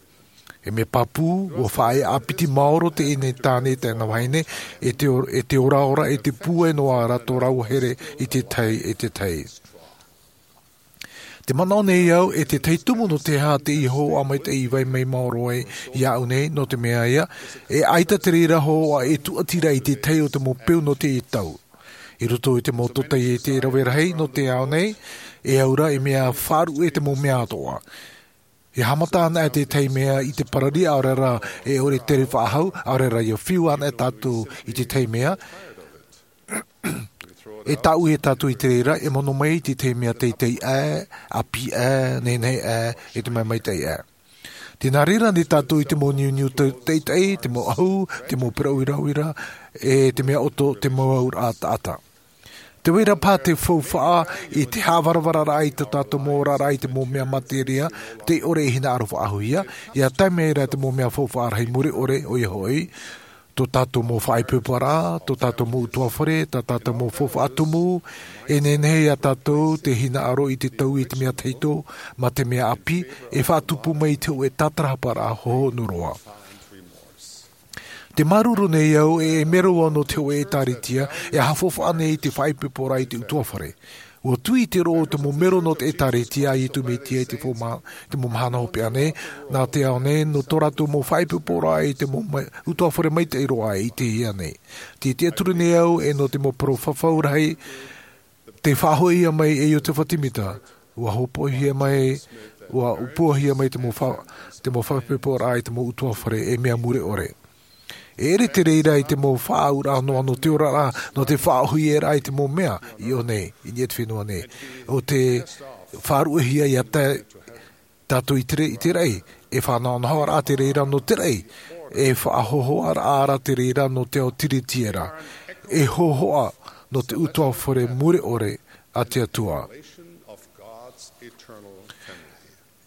E mea pāpū, ua faʻaea ʻāpiti maoro teie nei tāne, tāna vahine, e te or-, e te oraora, e te pūai noa ra tō rāua here i te tahi, e te tahi. Te manaʻo nei au, e te tahi tumu nō te aha teie hōhoʻa maitaʻi i vai mai maoro ai iāʻu nei, nō te mea ïa, e ʻaita te reira hōhoʻa e tūʻati ra i te tahi o te mau peu nō teie tau. I roto i te mau tōtaiete rave rahi nō te ao nei, e au ra e mea faʻaruʻe te mau mea atoʻa. E haʻamata ana e te tahi mea i te parari, ʻaore rā e ʻore tere faʻahou, ʻaore rā ʻia fiu ana e tātou i te tahi mea, e tāʻui e tātou i te reira, e mono mai i te tahi mea teitei aʻe, ʻāpī aʻe, nehenehe aʻe, e te mea maitaʻi aʻe. Tē nā reira nei tātou i te mau niuniu te-, teitei, te mau ʻahu, te mau peraʻi uiuira, e te mea ʻoto, te mau auraʻa taʻata. Tē vai ra paha te faufaʻa i te haʻavaravararaʻa i tō tātou mau oraraʻa i te mau mea materia, tei ʻore e hinaʻaro faʻahouhia, ʻia tae mai ra te mau mea faufaʻa rahi mure ʻore, ʻoia hoʻi, tō tātou mau faʻaipoipora, tō tātou mau ʻutuāfare, tā tātou mau faufaʻa tumu, e nehenehe ia tātou te hinaʻaro i te taui i te mea tahito, mā te mea ʻāpī, e faʻatupu mai i te hōʻē tātarahaparaʻa hohonu roa. Tē māuruuru nei au, e, e mero au nō te hōʻē ʻētāretia, e haʻafaufaʻa nei i te faʻaipoiporaʻa i te ʻutuāfare. Ua tui i te roʻo o te mau mero nō te ʻētāretia a Iesu Mesia i te fo ma-, te mau mahana hopeʻa nei, nā te ao nei, nō tō rātou mau faʻaipoiporaʻa i te mau mai-, ʻutuāfare maitaʻi roa i teie nei. Tē tiʻaturi nei au, e nō te mau parau fafau rahi, tē faʻahoʻihia mai e Iosepha Sāmita, ua hōpoihia mai, ua ʻōpuahia mai te mau fa-, te mau faʻaipoiporaʻa i te mau ʻutuāfare e mea mure ʻore. E ʻere te reira i te mau faʻaauraʻa noa nō te oraraʻa, nō te faʻahoʻiraʻa i te mau mea i ʻō nei, i niʻa i te fenua nei. ʻO te faʻaruʻehia ʻia tae tātou i te re-, i te raʻi, e faʻanahonahoraʻa te reira nō te raʻi, e faʻahōhoʻaraʻa te reira nō te ao tiritiera, e hōhoʻa nō te ʻutuāfare mure ʻore a te Atua.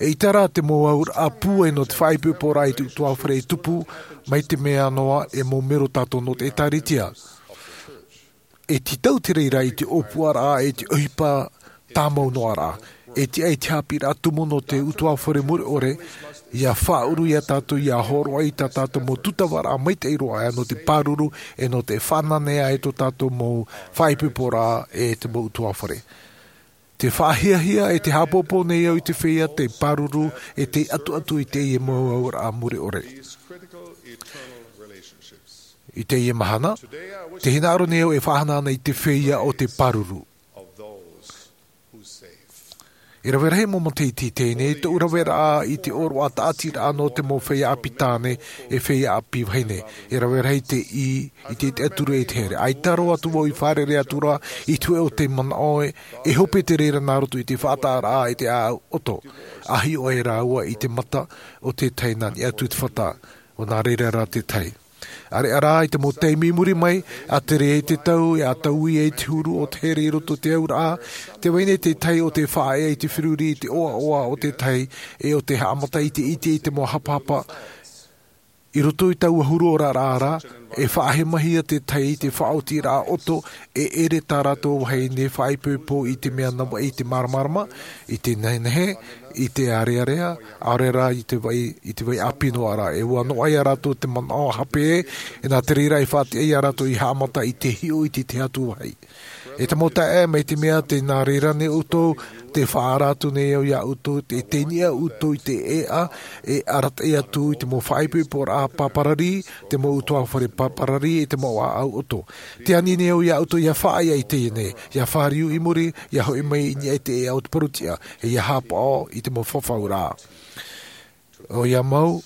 E ʻita rā te mau auraʻa pūai nō te faʻaipoiporaʻa i te ʻutuāfare e tupu, mai te mea noa e mau mero tātou nō te ʻētāretia. E tītau te reira i te ʻōpuaraʻa, e te ʻohipa tāmau noa ra. E tiʻa i te haʻapiʻiraʻa tumu nō te ʻutuāfare mure ʻore, ʻia faʻaʻuru ia tātou ʻia hōroʻa i tā tātou mau tūtavaraʻa maitaʻi roa aʻe nō te pāruru, e nō te fānaʻo ai tō tātou mau faʻaipoiporaʻa e te mau ʻutuāfare. Tē faʻahiahia e tē haʻapōpō nei au i te feiā tei pāruru, e tei ʻatuʻatu i teie mau auraʻa mure ʻore. I teie mahana, tē hinaʻaro nei au e faʻahanahana i te feiā o te pāruru. E rave rahi mau matahiti i teie nei, tōʻu raveraʻa i te ʻōroʻa tāʻatiraʻa nō te mau feiā ʻāpī tāne, e feiā ʻāpī vahine. E rave rahi te ʻī, i te, te ʻatura e te here. ʻAita roa atu vau i fārerei atu ra, i te hōʻē o te manaʻo e, e hope te reira nā roto i te faʻataʻaraʻa i te ʻāʻau ʻoto. ʻA hiʻo ai rāua i te mata o te tahi nā niʻa atu i te fata. ʻO nā reira rā te tahi. ʻAreʻa rā i te mau taime i muri mai, ʻa tere ai te tau, e ʻa taui ai te huru o te here i roto i te auraʻa, tē vai nei te tahi o te faʻaea i te feruri i te ʻoaʻoa o te tahi, e o te haʻamata i te ʻite i te mau hapahapa, i roto i taua huru oraraʻa ra, e faʻahemahia te tahi i te faʻaotiraʻa ʻoto, e ʻere tā rātou vahine faʻaipoipo i te mea navaʻi i te māramarama, i te nehenehe, i te ārearea, ʻaore rā i te vai, i te vai ʻāpī noa ra. E ʻua noaʻa ia rātou te manaʻo hape, e nā te reira e faʻatiʻa ia rātou i haʻamata i te hiʻo i te tahi atu vāhi. E te mau taeaʻe, mai te mea tē nā reira nei ʻoutou, tē faʻaara atu nei au ia ʻoutou, tē, tē niʻa ʻoutou i te ʻēʻa, e arataʻi atu i te mau faʻaipoiporaʻa pāparari, te mau ʻutuāfare pāparari, e te mau ʻāʻau ʻoto. Tē ani nei au ia ʻoutou ʻia faʻaea i teie nei, ʻia fāriu i muri, ʻia hoʻi mai i niʻa i te ʻēʻa o te parutiʻa, e ʻia haʻapaʻo i te mau fafauraʻa. ʻOia mau,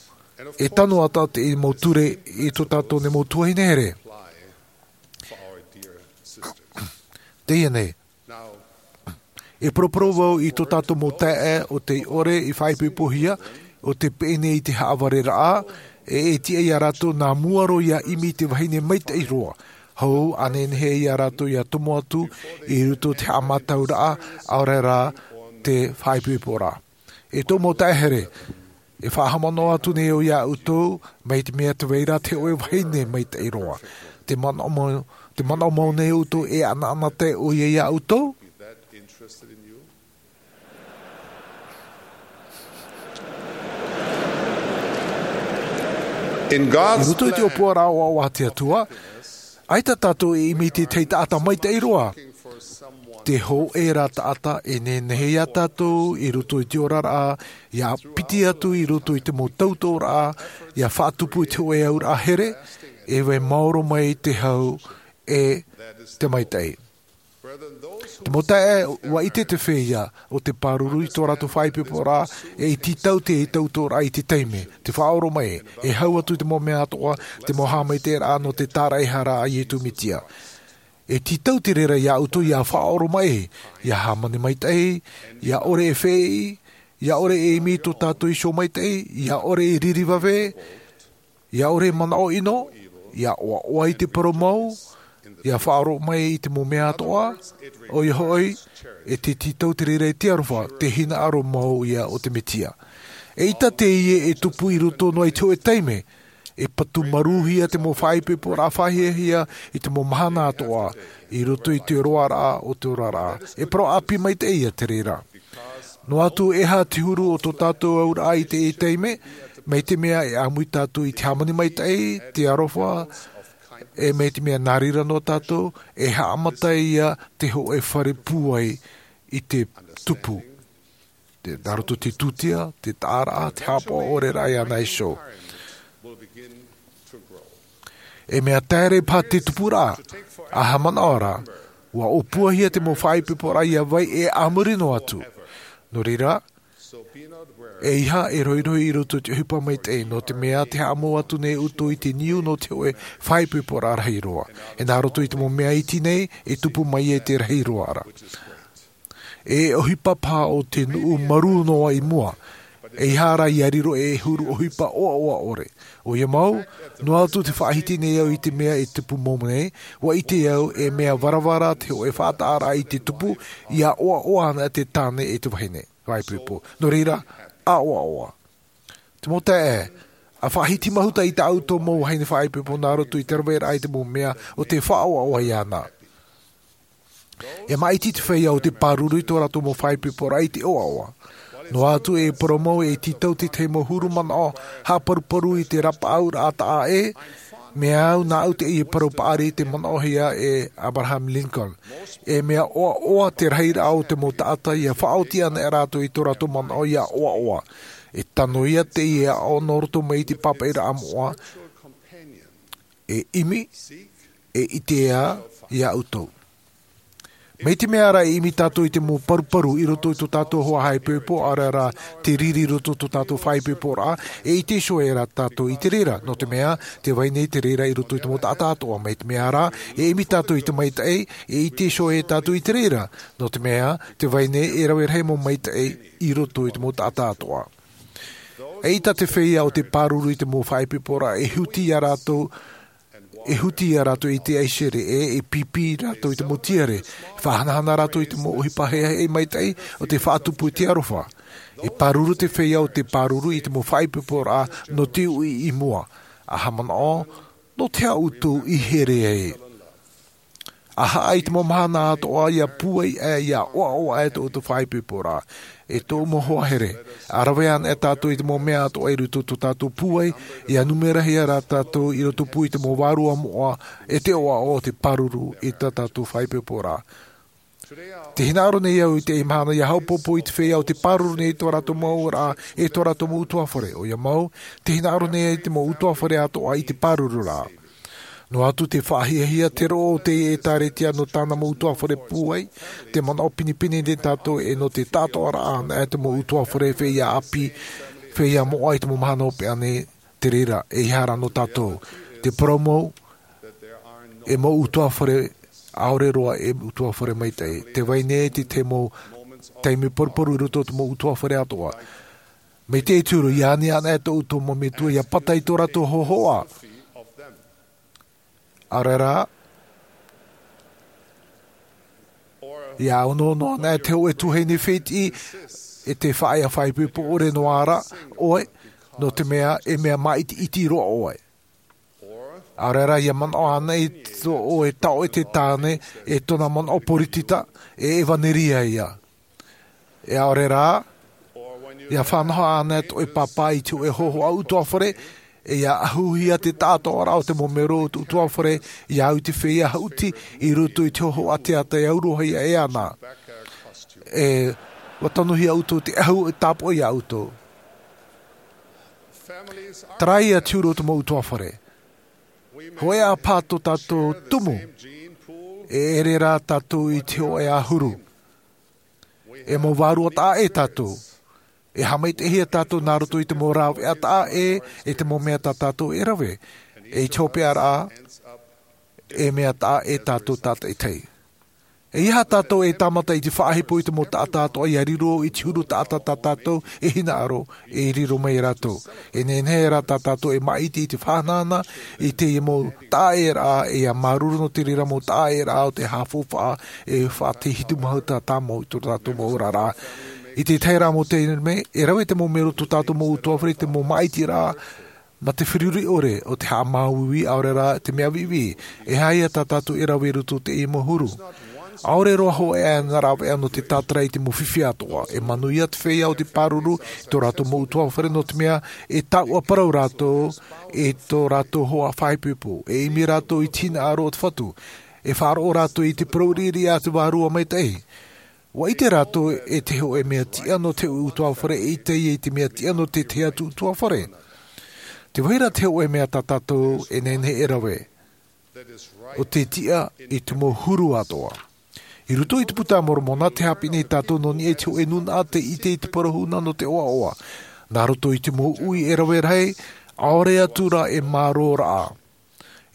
E tano atu te mau ture i tō tātou nei mau tuahine here. Teie nei, e poroporo vau i tō tātou mau taeaʻe o tei ʻore i faʻaipoipohia, o tei pēʻe nei i te haʻavareraʻa, e e tiʻa iā rātou nā mua roa ia ʻimi i te vahine maitaʻi roa, hou ʻa nehenehe iā rātou ia tomo atu i roto i te haʻamātauraʻa, ʻaore rā te faʻaipoiporaʻa. E tō mau taeaʻe here, e faʻahaʻamanaʻo atu nei au iā ʻoutou, mai te mea tē vai ra te hōʻē vahine maitaʻi roa. Te manaʻo mau, te manaʻo mau nei ʻoutou e ʻanaʻanatae ʻoia iā ʻoutou? In God's I roto i te plan, ʻōpuaraʻa ʻoaʻoa a te Atua, ʻaita tātou e ʻimi i te tahi taʻata maitaʻi roa. Te hōʻē rā taʻata e nehenehe iā tātou i roto i te oraraʻa, ia piti atu i roto i te mau tautoʻoraʻa, ia faʻatupu i te hōʻē auraʻa here, e vai maoro mai te hau e te maitaʻi. Te mau taeaʻe, ʻua ʻite te feiā o te pāruru i tō rātou faʻaipoiporaʻa, e i tītau te tautoʻoraʻa i te taime, te faʻaoromaʻi, e hau atu i te mau mea atoʻa, te mau haʻamaitaʻiraʻa nō te tāraʻehara a Iesu Mesia. E tītau te reira iā ʻoutou ia faʻaoromaʻi, ia hāmani maitaʻi, ia ʻore e feʻi, ia ʻore e ʻimi i tō tātou iho maitaʻi, ia ʻore e riri vave, ia ʻore e manaʻo ʻino, ia ʻoaʻoa i te parau mau, ia faʻaoromaʻi i te mau mea atoʻa, ʻoia hoʻi, e te tītau te reira i te aroha, te hinaʻaro mau ia o te Mesia. ʻEita teie e tupu i roto noa i te hōʻē taime, e patu marūhia te mau faʻaipoiporaʻa faʻahiahia i te mau mahana atoʻa, i roto i te roaraʻa o te oraraʻa. E parau ʻāpī maitaʻi ia te reira. Noa atu e aha te huru o tō tātou auraʻa i teie taime, mai te mea e ʻāmui tātou i te hāmani maitaʻi, te aroha, e mai te mea nā reira noa tātou, e haʻamata ia te hōʻē fare pūai i te tupu. Te, nā roto te tūtia, te taʻaraʻa, te haʻapaʻo ʻore rā iāna iho. E mea taere paha te tupuraʻa, ʻa haʻamanaʻo ra, ʻua ʻōpuahia te mau faʻaipoiporaʻa ia vai e a muri noa atu. Nō reira, ʻeiaha e rohirohi i roto i te ʻohipa maitaʻi, nō te mea tē haʻamau atu nei ʻoutou i te niu nō te hōʻē faʻaipoiporaʻa rahi roa. E nā roto i te mau mea iti nei, e tupu mai ai te rahi roa ra. E ʻohipa paha o te nuʻu marū noa i mua. ʻEiaha rā ia riro ei huru ʻohipa ʻoaʻoa ʻore. ʻOia mau, noa atu tē faʻahiti nei au i te mea e tupu mau nei, ʻua ʻite au e mea varavara te hōʻē faʻataʻaraʻa i te tupu, ia ʻoaʻoa ana te tāne e te vahine. Faʻaipoipo. Nō reira, ʻa ʻoaʻoa. Te mau taeaʻe, ʻa faʻahiti mahuta i tā ʻoutou mau vahine faʻaipoipo nā roto i te raveraʻa i te mau mea o tē faʻaʻoaʻoa iāna. E maʻiti te feiā o te pāruru i tō rātou mau faʻaipoiporaʻa i te ʻoaʻoa. Noa atu e parau mau e tītau te tahi mau huru manaʻo haʻaparuparu i te rapaʻauraʻa taʻa ʻē, mea au nāʻu teie parau paʻari i te manaʻohia e Abraham Lincoln. E mea ʻoaʻoa te rahiraʻa o te mau taʻata ia faʻaoti ana e rātou i tō rātou manaʻo ia ʻoaʻoa. E tano ia teie aʻo nō roto mai i te pāpaʻiraʻa moʻa, e ʻimi, e ʻite ā iā ʻoutou. Mai te mea ra e ʻimi tātou i te mau paruparu i roto i tō tātou hoa faʻaipoipo, ʻaore rā te riri i roto i tō tātou faʻaipoiporaʻa, e ʻite iho ā tātou i te reira, nō te mea, tē vai nei te reira i roto i te mau taʻata atoʻa. Mai te mea ra, e ʻimi tātou i te maitaʻi, e ʻite iho ā tātou i te reira, nō te mea, tē vai nei e rave rahi mau maitaʻi i roto i te mau taʻata atoʻa. ʻEita te feiā o te pāruru i te mau faʻaipoiporaʻa e huti iā rātou, e huti iā rātou i te ʻaihere, e, e pīpī rātou i te mau tiare, e faʻahanahana rātou i te mau ʻohipa heʻeheʻe maitaʻi o te faʻatupu i te aroha. E pāruru te feiā o te pāruru i te mau faʻaipoiporaʻa nō te uʻi i mua. ʻA haʻamanaʻo, nō te aha ʻoutou i here ai? ʻA haʻa i te mau mahana atoʻa ia pūai aʻe, ia ʻoaʻoa aʻe tō ʻoutou faʻaipoiporaʻa. E tōʻu mau hoa here, ʻa rave ana e tātou i te mau mea atoʻa i roto i tō tātou pūai, ia numerahia rā tātou i rotopū i te mau vārua moʻa, e te ʻoaʻoa o te pāruru i tā tātou faʻaipoiporaʻa. Tē hinaʻaro nei au i teie mahana ia haʻapoʻopoʻo i te feiā o te pāruru nei tō rātou mau auraʻa, e tō rātou mau ʻutuāfare. ʻOia mau, tē hinaʻaro nei te mau ʻutuāfare atoʻa i te pāruru ra. Noa atu tē faʻahiahia te roʻo o te ʻĒtārētia nō tāna mau ʻutuāfare pūai, tē manaʻo pinepine nei tātou e nō te taʻatoʻaraʻa ana e te mau ʻutuāfare feiā ʻāpī, feiā moʻa i te mau mahana hopeʻa nei, Te reira, e ihara no tātou te parau mau, e mau utuafare, ʻaore roa e utuafare maitaʻi. Te vai nei te te mau taime paruparu i roto o te mau utuafare atoʻa. Mai te turu i ani ana e tō uto mo metua ia pata i tō rātou hohoʻa. ʻAore rā, ia ono no ana e te hoʻe tuahine fētiʻi e te faʻaea faʻaipoipo ʻore no ara ʻoe, no te mea e mea māʻitiʻiti roa ʻoe. ʻAore rā, ia manaʻo ana i tō ʻoe taʻo e te tāne e tōna manaʻo poritita, e evanelia ia. E ʻaore rā, ia fānaʻo ana e tō ʻoe pāpā i te hoʻe hohoʻa utuafare, e ia ahuhia te taʻatoʻaraʻa o te mau mero o te utuafare, ia au i te feiā haʻuti i roto i te hohoʻa teata e auroha ia e ana. E ua tanuhia uto te ahu e tāpoʻi ia uto. Tarai ia te huru o te mau utuafare. Hoʻe a pā tō tātou tumu, e ere rā tātou i te hoʻe a huru. E mau vārua taʻa e tātou. E hāmaitaʻihia tātou nā roto i te mau rāveʻa taʻa e, e te mau mea tā tātou e rave. E i te hopeʻaraʻa, e mea taʻa e tātou tātaʻitahi. E ia tātou e tāmata i te faʻahepo i te mau taʻata atoʻa ia riro i te huru taʻata tā tātou e hinaʻaro, e riro mai rātou. E nehenehe rā tā tātou e māʻiti i te faʻahanahana i te mau taʻaeraʻa, e ia māuruuru no te reira mau taʻaeraʻa o te hāfaufaʻa, e faʻahitu mahuta tāmau i tō tātou mau oraraʻa. I te tahi rā mau taime, e rave te mau mero tō tātou mau utuafare i te mau māʻitiraʻa ma te feruri ʻore o te haʻamāuiui, ʻaore rā te mea viʻiviʻi. E aha ia tā tātou e rave i roto i teie mau huru? ʻAore roa hoʻi ʻana rāveʻa no te tātara i te mau fifi atoʻa. E manuia te feiā o te pāruru i tō rātou mau utuafare, no te mea e taʻua parau rātou i tō rātou hoa faʻaipoipo. E ʻimi rātou i te hinaʻaro o te Fatu. E faʻaroʻo rātou i te parau riʻiriʻa a te Vārua Maitaʻi. Ua ʻite rātou e te hoʻe mea tiʻa no te hoʻe utuafare, e ʻite ia i te mea tiʻa no te tahi atu utuafare. Tē vai ra te hoʻe mea tā tātou e nehenehe e rave, ʻo te tiʻa i te mau huru atoʻa. I roto i te Puta a Moromona, tē haʻapiʻi nei tātou nō niʻa i te hoʻe nūnaʻa tē ʻite i te parau huna no te ʻoaʻoa. Nā roto i te mau ui e rave rahi, ʻaore atu rā e mārōraʻa.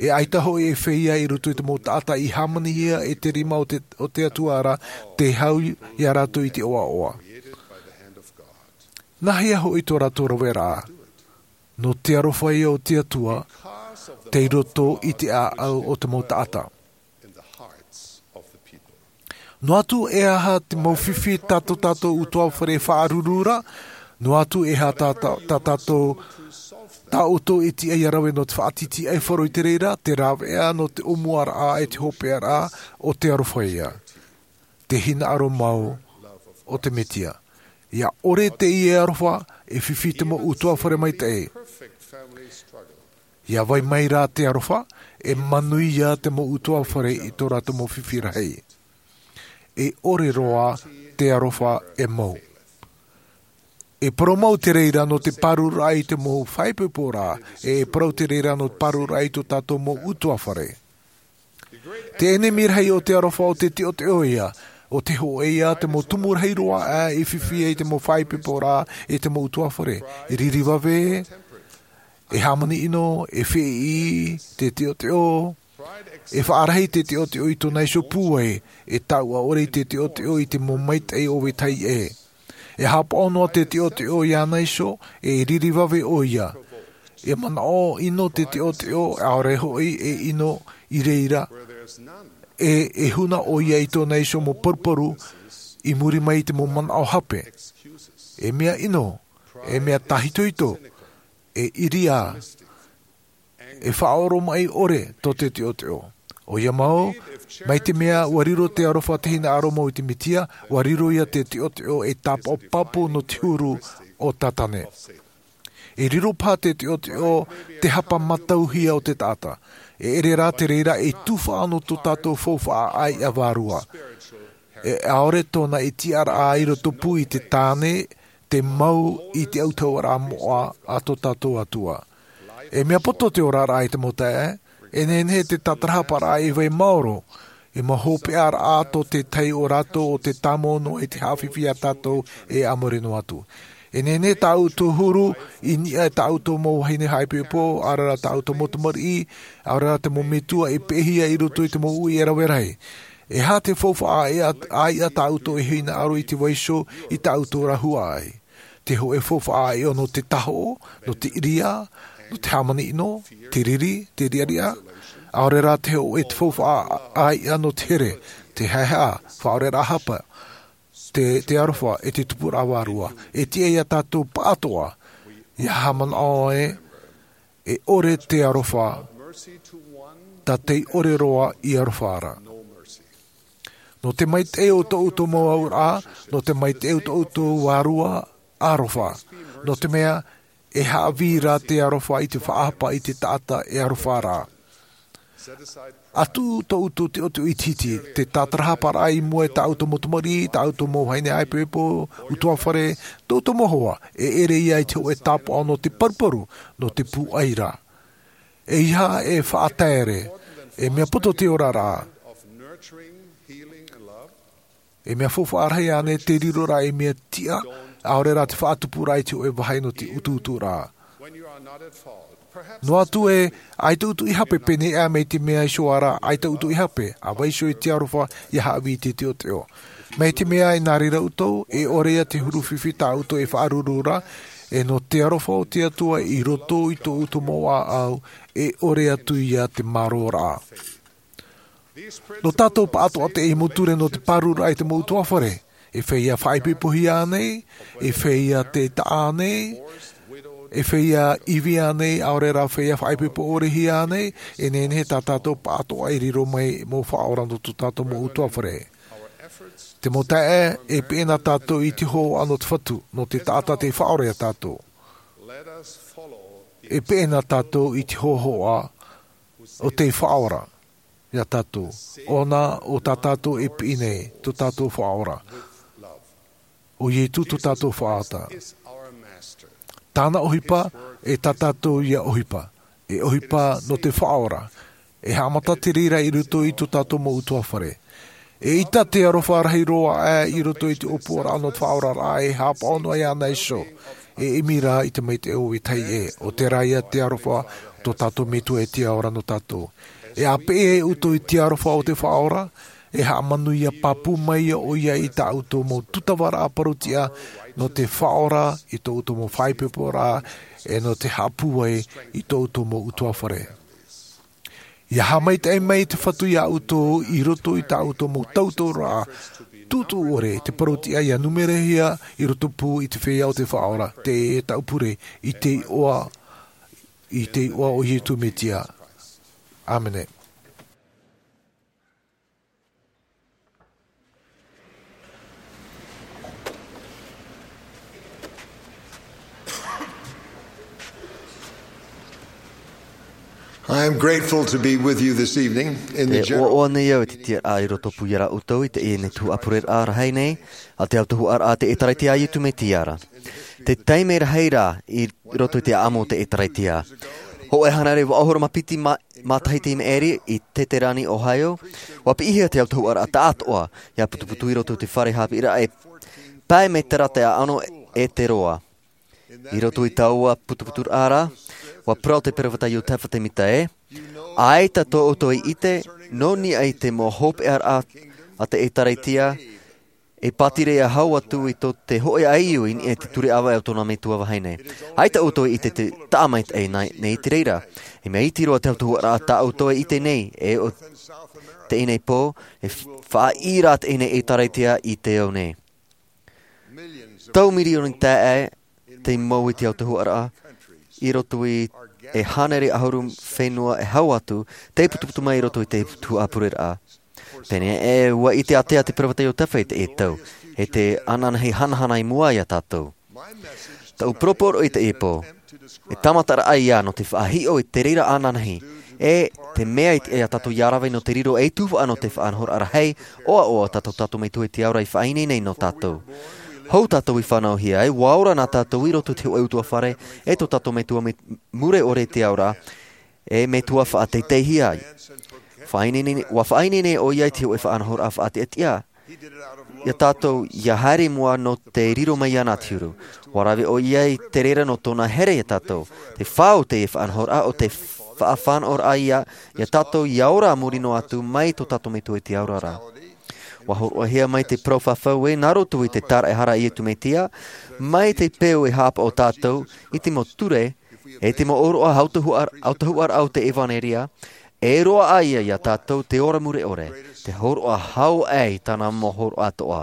E ʻaita hoʻi e feiā i roto i te mau taʻata i hāmanihia e te rima o te, o te Atua ra, tē hau ia rātou i te ʻoaʻoa. Nāhea hoʻi tō rātou raveraʻa? No te aroha ia o te Atua, tei roto i te ʻāʻau o te mau taʻata. Noa atu e aha te mau fifi tā tō tātou utuafare e faʻaruru ra, noa atu e aha tā, tā, tā tātou, tā ʻoutou e tiʻa ia rave no te faʻatītīʻaifaro i te reira, te rāveʻa no te ʻōmuaraʻa e te hopeʻaraʻa o te aroha ia. Te hinaʻaro mau o te Metia. Ia ʻore teie aroha, e fifi te mau utuafare maitaʻi. Ia vai mai rā te aroha, e manuia te mau utuafare i tō rātou mau fifi rahi. E ʻore roa te aroha e mau. E parau mau te reira no te pārururaʻa i te mau faʻaipoiporaʻa, e, e parau te reira no te pārururaʻa i tō tātou mau utuafare. Te ʻenemi rahi o te aroha ʻo te teʻoteʻo ia, ʻo te hōʻē ia te mau tumu rahi roa ā e fifi ai te mau faʻaipoiporaʻa, e te mau utuafare. E riri vave, e hāmani ʻino, e feʻiʻi te teʻoteʻo, e faʻarahi te teʻoteʻo i tōna iho pūai, e taʻua ʻore i te teʻoteʻo i te mau maitaʻi o vetahi ʻē. E haʻapaʻo noa te teʻoteʻo iāna iho, e riri vave ʻoia. E manaʻo ʻino te teʻoteʻo, ʻaore hoʻi e ʻino i reira. E, e huna ʻoia i tōna iho mau paruparu, i muri mai i te mau manaʻo hape. E mea ʻino, e mea tāhitohito, e ʻiriā, e faʻaoromaʻi ʻore tō te teʻoteʻo. ʻOia mau, mai te mea ua riro te aroha te hinaʻaro mau i te Metia, ua riro ia te teʻoteʻo e tāpaʻo pāpū nō te huru o Tātane. E riro paha te teʻoteʻo te hapa mātauhia o te taʻata. E ʻere rā te reira e tufaʻa nō tō tātou faufaʻa ʻāiʻa vārua. E ʻaore tōna e tiʻaraʻa i roto pū i te tāne, te mau i te autahuʻaraʻa moʻa a tō tātou Atua. E mea poto te oraraʻa i te mau taeaʻe, e nehenehe te tātarahaparaʻa e vai maoro, e mau hopeʻaraʻa tō te tahi o rātou o te tāmau noa i te haʻafifi ia tātou e a muri noa atu. E nehenehe tā ʻoutou huru i niʻa i tā ʻoutou mau vahine haʻaipoipo, ʻaore rā tā ʻoutou mau tamariʻi, ʻaore rā te mau metua e peʻehia i roto i te mau uʻi e rave rahi. E aha te faufaʻa ʻāiʻa tā ʻoutou e hinaʻaro i te vaiiho i tā ʻoutou huaʻai? Te hōʻē faufaʻa ʻāiʻa nō te tahoʻo, nō te ʻiriā, nō te hāmani ʻino, te riri, te riʻariʻa? ʻAore rā, te hōʻē faufaʻa ʻāiʻa nō te here, te haʻehaʻa, faʻaoreraʻa hapa, te aroha, e te tupuraʻa vārua. E tiʻa ia tātou paʻatoʻa ia haʻamanaʻo ē, e ʻore te aroha tā tei ʻore roa i aroha ra. Nō te maitaʻi o tō ʻoutou mau auraʻa, nō te maitaʻi o tō ʻoutou vārua, aroha. Nō te mea e haʻavī rā te aroha i te faʻahapa i te taʻata e aroha ra. ʻA tuʻu tō ʻoutou tiʻotiʻo ʻitehite, te tātarahaparaʻa i mua i tā ʻoutou mau tamariʻi, tā ʻoutou mau vahine haʻaipoipo, ʻutuāfare, tō ʻoutou mau hoa, e ʻere ia i te hōʻē tāpaʻo nō te paruparu, nō te pūai ra. E ia e faʻataere, e mea poto te oraraʻa. E mea faufaʻa rahi ānei te riroraʻa i mea tiʻa, ʻaore rā te faʻatupuraʻa i te hōʻē vāhi nō te utuuturaʻa? Noa atu ē, ʻaita ʻoutou i hape, pēneiaʻe mai te mea iho ra, ʻaita ʻoutou i hape, ʻa vaiiho i te aroha ia haʻavī i te tiʻotiʻo. Mai te mea e nā reira ʻoutou, e ʻore ia te huru fifi tā ʻoutou e faʻaruru ra, e nō te aroha o te Atua i roto i tō ʻoutou mau ʻāʻau, e ʻore atu ia te māroraʻa. Nō tātou paʻatoʻa teie mau ture nō te pārururaʻa i te mau ʻutuāfare. E feiā faʻaipoipohia ānei? E feiā te taʻa ānei? E feiā ivi ānei, ʻaore rā feiā faʻaipoipo ʻorehia ānei? E nehenehe tā tātou paʻatoʻa e riro mai mau faʻaora nō tō tātou mau ʻutuāfare. Te mau taeaʻe, e peʻe na tātou i te hōhoʻa nō te Fatu, nō te taʻata tei faʻaora ia tātou. E peʻe na tātou i te hōhoʻa o tei faʻaora ia tātou. ʻOna, ʻo tā tātou e piʻi nei, tō tātou Faʻaora. ʻO Ietu tō tātou Faʻaora. Tāna ʻohipa, e tā tātou ia ʻohipa. E ʻohipa nō te Faʻaora. E haʻamata te reira i roto i tō tātou mau ʻutuāfare. E ʻita te aroha rahi roa aʻe i roto i te ʻōpuaraʻa nō te faʻaoraraʻa e haʻapaʻo noa iāna iho. E ʻimi rā i te maitaʻi o vetahi ʻē, ʻo terā ia te aroha o tō tātou Metua e tiʻa ora nō tātou. E ʻāpeʻe ʻoutou i te aroha o te Faʻaora, e haʻamanuia pāpū mai ʻoia i tā ʻoutou mau tūtavaraʻa parau-tiʻa nō te Faʻaora i tō ʻoutou mau faʻaipoiporaʻa, e nō te haʻapūai i tō ʻoutou mau ʻutuāfare. Ia haʻamaitaʻi mai te Fatu iā ʻoutou i roto i tā ʻoutou mau tauturu-raʻa tuʻutuʻu ʻore, te parau-tiʻa ia numerahia i rotopū i te feiā o te Faʻaora, te taʻu pure, i te iʻoa, i te iʻoa o Ietu Metia. ʻĀmene. I am grateful to be with you this evening in the E general ʻoaʻoa nei au i te tiʻaraʻa i rotopū ia ʻoutou i teie nei tuhaʻa pureraʻa rahi nei, a te autahuʻaraʻa a te ʻĒtārētia a Ietu Metia ra. Te taime rahi ra i roto i te ʻāʻamu o te ʻĒtārētia. Hōʻē hānere vaʻu ʻahuru mā piti mā-, matahiti i maʻiri i Teterani, Ohio, ʻua piʻihia te autahuʻaraʻa tāʻātoʻa, ia putuputu i roto i te fare haʻapiʻiraʻa e pae mai terā te ʻāʻano ʻEteroa. I roto i taua putuputuraʻa ra, ʻua parau te peropheta Iosepha Semita ē, ʻaita tō ʻoutou e ʻite, nō niʻa i te mau hopeʻaraʻa a te ʻĒtārētia, e pātireia hau atu i tō te hōʻē ʻāiʻa i niʻa i te ture ʻāvae o tōna metua vahine. ʻAita ʻoutou e ʻite te taʻa maitaʻi nei, nei te reira. E mea iti roa te autahuʻaraʻa tā ʻoutou e ʻite nei, e ʻo teie nei pō, e faʻaʻī rā teie nei ʻĒtārētia i te ao nei. Tau mirioni taeaʻe tei mau i te autahuʻaraʻa, i roto i e hānere ʻahuru fenua e hau atu, tei putuputu mai i roto i te tuhaʻa pureraʻa. Pēneiaʻe, ʻua ʻite ātea te peropheta Iosepha i teie tau, e te ananahi hanahana i mua ia tātou. Taʻu poroporoʻi i teie pō, e tāmataraʻa ia nō te faʻahiʻo i te reira ananahi, e te mea i te, ia tātou ia rave nō te riro ei tuhaʻa nō te faʻanahoraʻa rahi, ʻoaʻoa tā tō tātou Metua i te ao ra i faʻaineine nei nō tātou. Hou tātou i fānauhia ai, ʻua ora na tātou i roto i te hōʻē ʻutuāfare, e tō tātou Metua mure ʻore i te ao ra, e Metua faʻateiteihia ai. Faʻaineine, ʻua faʻaineine ʻoia i te hōʻē faʻanahoraʻa faʻatiʻatiʻa. iā tātou ia haere i mua nō te riro mai iāna te huru. Ua rave ʻoia i te reira nō tōna here iā tātou. Te fāʻau te faʻanahoraʻa o te faʻafānaʻoraʻa iā iā tātou ia ora a muri noa atu mai tō tātou metua i te aorara. Ua hōroʻahia mai te parau fafau ē nā roto i te tāraʻehara a iesu mesia, mai te peu e hāpaʻo tātou i te mau ture e te mau ʻōroʻa autahuʻaraʻa o te evanelia, e roaʻa ia iā tātou te ora mure ʻore, te hōroʻa hau aʻe i tāna mau hōroʻa atoʻa.